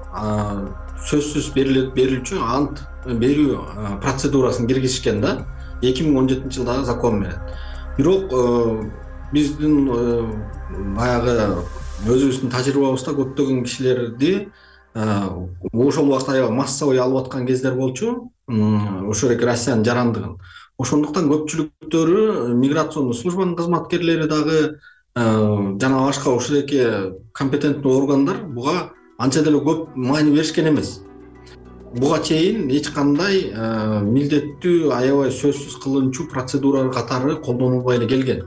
сөзсүз берилүүчү ант берүү процедурасын киргизишкен да 2017-жылдагы закон менен. Бирок биздин баягы өзүбүздүн тажрыйбабызда көптөгөн кишилерди ошол убакта аябай массовый алып аткан кездер болчу, ошол эки Россиянын жарандыгын. Ошондуктан көпчүлүктөрү миграционный службанын кызматкерлери дагы жана башка ошол эки компетентный органдар буга анча деле көп маани беришкен эмес. Буга чейин эч кандай милдеттүү аябай сөзсүз кылынчу процедура катары колдонулбай эле келген.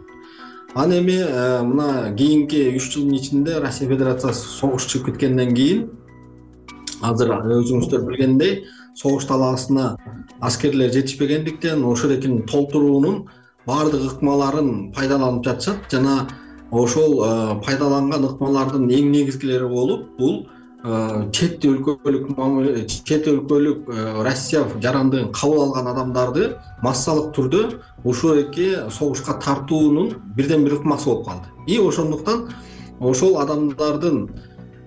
Аны эми мына кийинки 3 жылдын ичинде Россия Федерациясы согуш чыгып кеткенден кийин азыр өзүңүздөр билгендей согуш талаасына аскерлер жетишпегендиктен ошол экинин толтуруунун баардык ыкмаларын пайдаланып жатышат жана ошол пайдаланган ыкмалардын эң негизгилери болуп бул чет өлкөлүк Россия жарандыгын кабыл алган адамдарды массалык түрдө ушул эки согушка тартуунун бирден бир ыкмасы болуп калды. И ошондуктан ошол адамдардын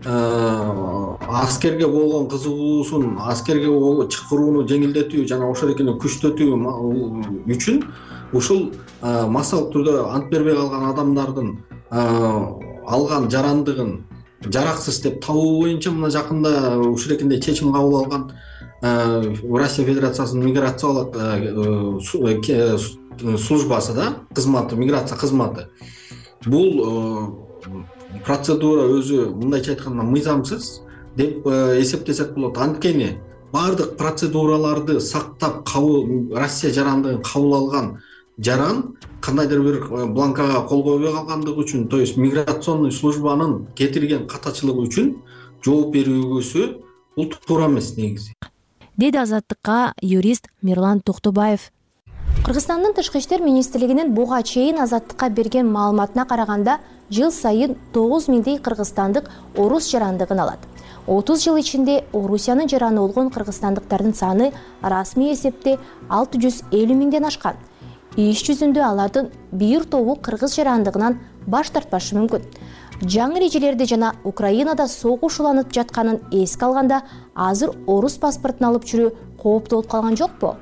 аскерге болгон кызыгуусун, аскерге чакырууну жеңилдетүү жана ошол экини күчтөтүү үчүн ушул массалык түрдө ант бербей калган адамдардын алган жарандыгын жараксыз деп табуу боюнча мына жакында ушул экиндей чечим кабыл алган Россия Федерациясынын миграциялык службасы да, кызматы, миграция кызматы. Бул процедура өзү мындайча айтканда мыйзамсыз деп эсептесек болот. Анткени баардык процедураларды сактап Россия жарандыгын кабыл алган жаран кандайдыр бир бланкага кол койбой калгандыгы үчүн, то есть миграционный службанын кетирген катачылыгы үчүн жооп берүүгөсү бул туура эмес негизи.
Деди Азаттыкка юрист Мирлан Токтобаев.
Кыргызстандын Тышкы иштер министрлигинин буга чейин Азаттыкка берген маалыматына караганда, жыл сайын 9 миңдей кыргызстандык орус жарандыгын алат. 30 жыл ичинде Орусиянын жараны болгон кыргызстандыктардын саны расмий эсепте 650 миңден ашкан. Иш жүзүндө алардын бир тобу кыргыз жарандыгынан баш тартпашы мүмкүн. Жаңы эрежелерди жана Украинада согуш уланып жатканын эске алганда, азыр орус паспортун алып жүрүү кооптуу болуп калган жокпу?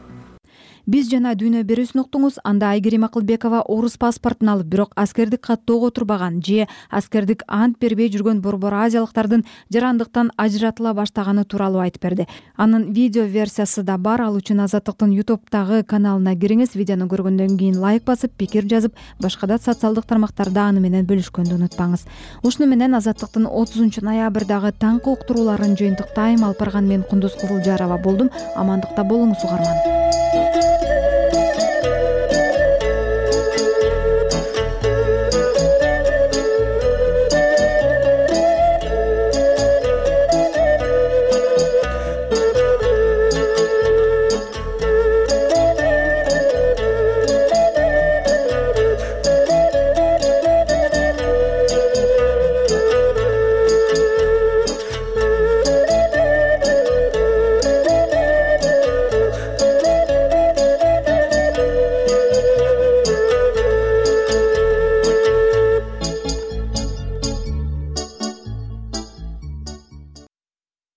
Биз жана Дүйнө берүүсүн уктуңуз. Анда Айгерим Акылбекова орус паспортун алып, бирок аскердик каттоого турбаган же аскердик ант бербей жүргөн борбор азиялыктардын жарандыктан ажыратыла баштаганы тууралуу айтып берди. Анын видео версиясы да бар. Ал үчүн Азаттыктын YouTube'дагы каналына кириңиз. Видеону көргөндөн кийин лайк басып, пикир жазып, башка да социалдык тармактарда аны менен бөлүшкөндү унутпаңыз. Ушуну менен Азаттыктын 30 ноябрдагы таңкы уктурууларын жыйынтыктайм. Алып барган мен Кундуз Кызылжарова болдум. Амандыкта болуңуз угарман.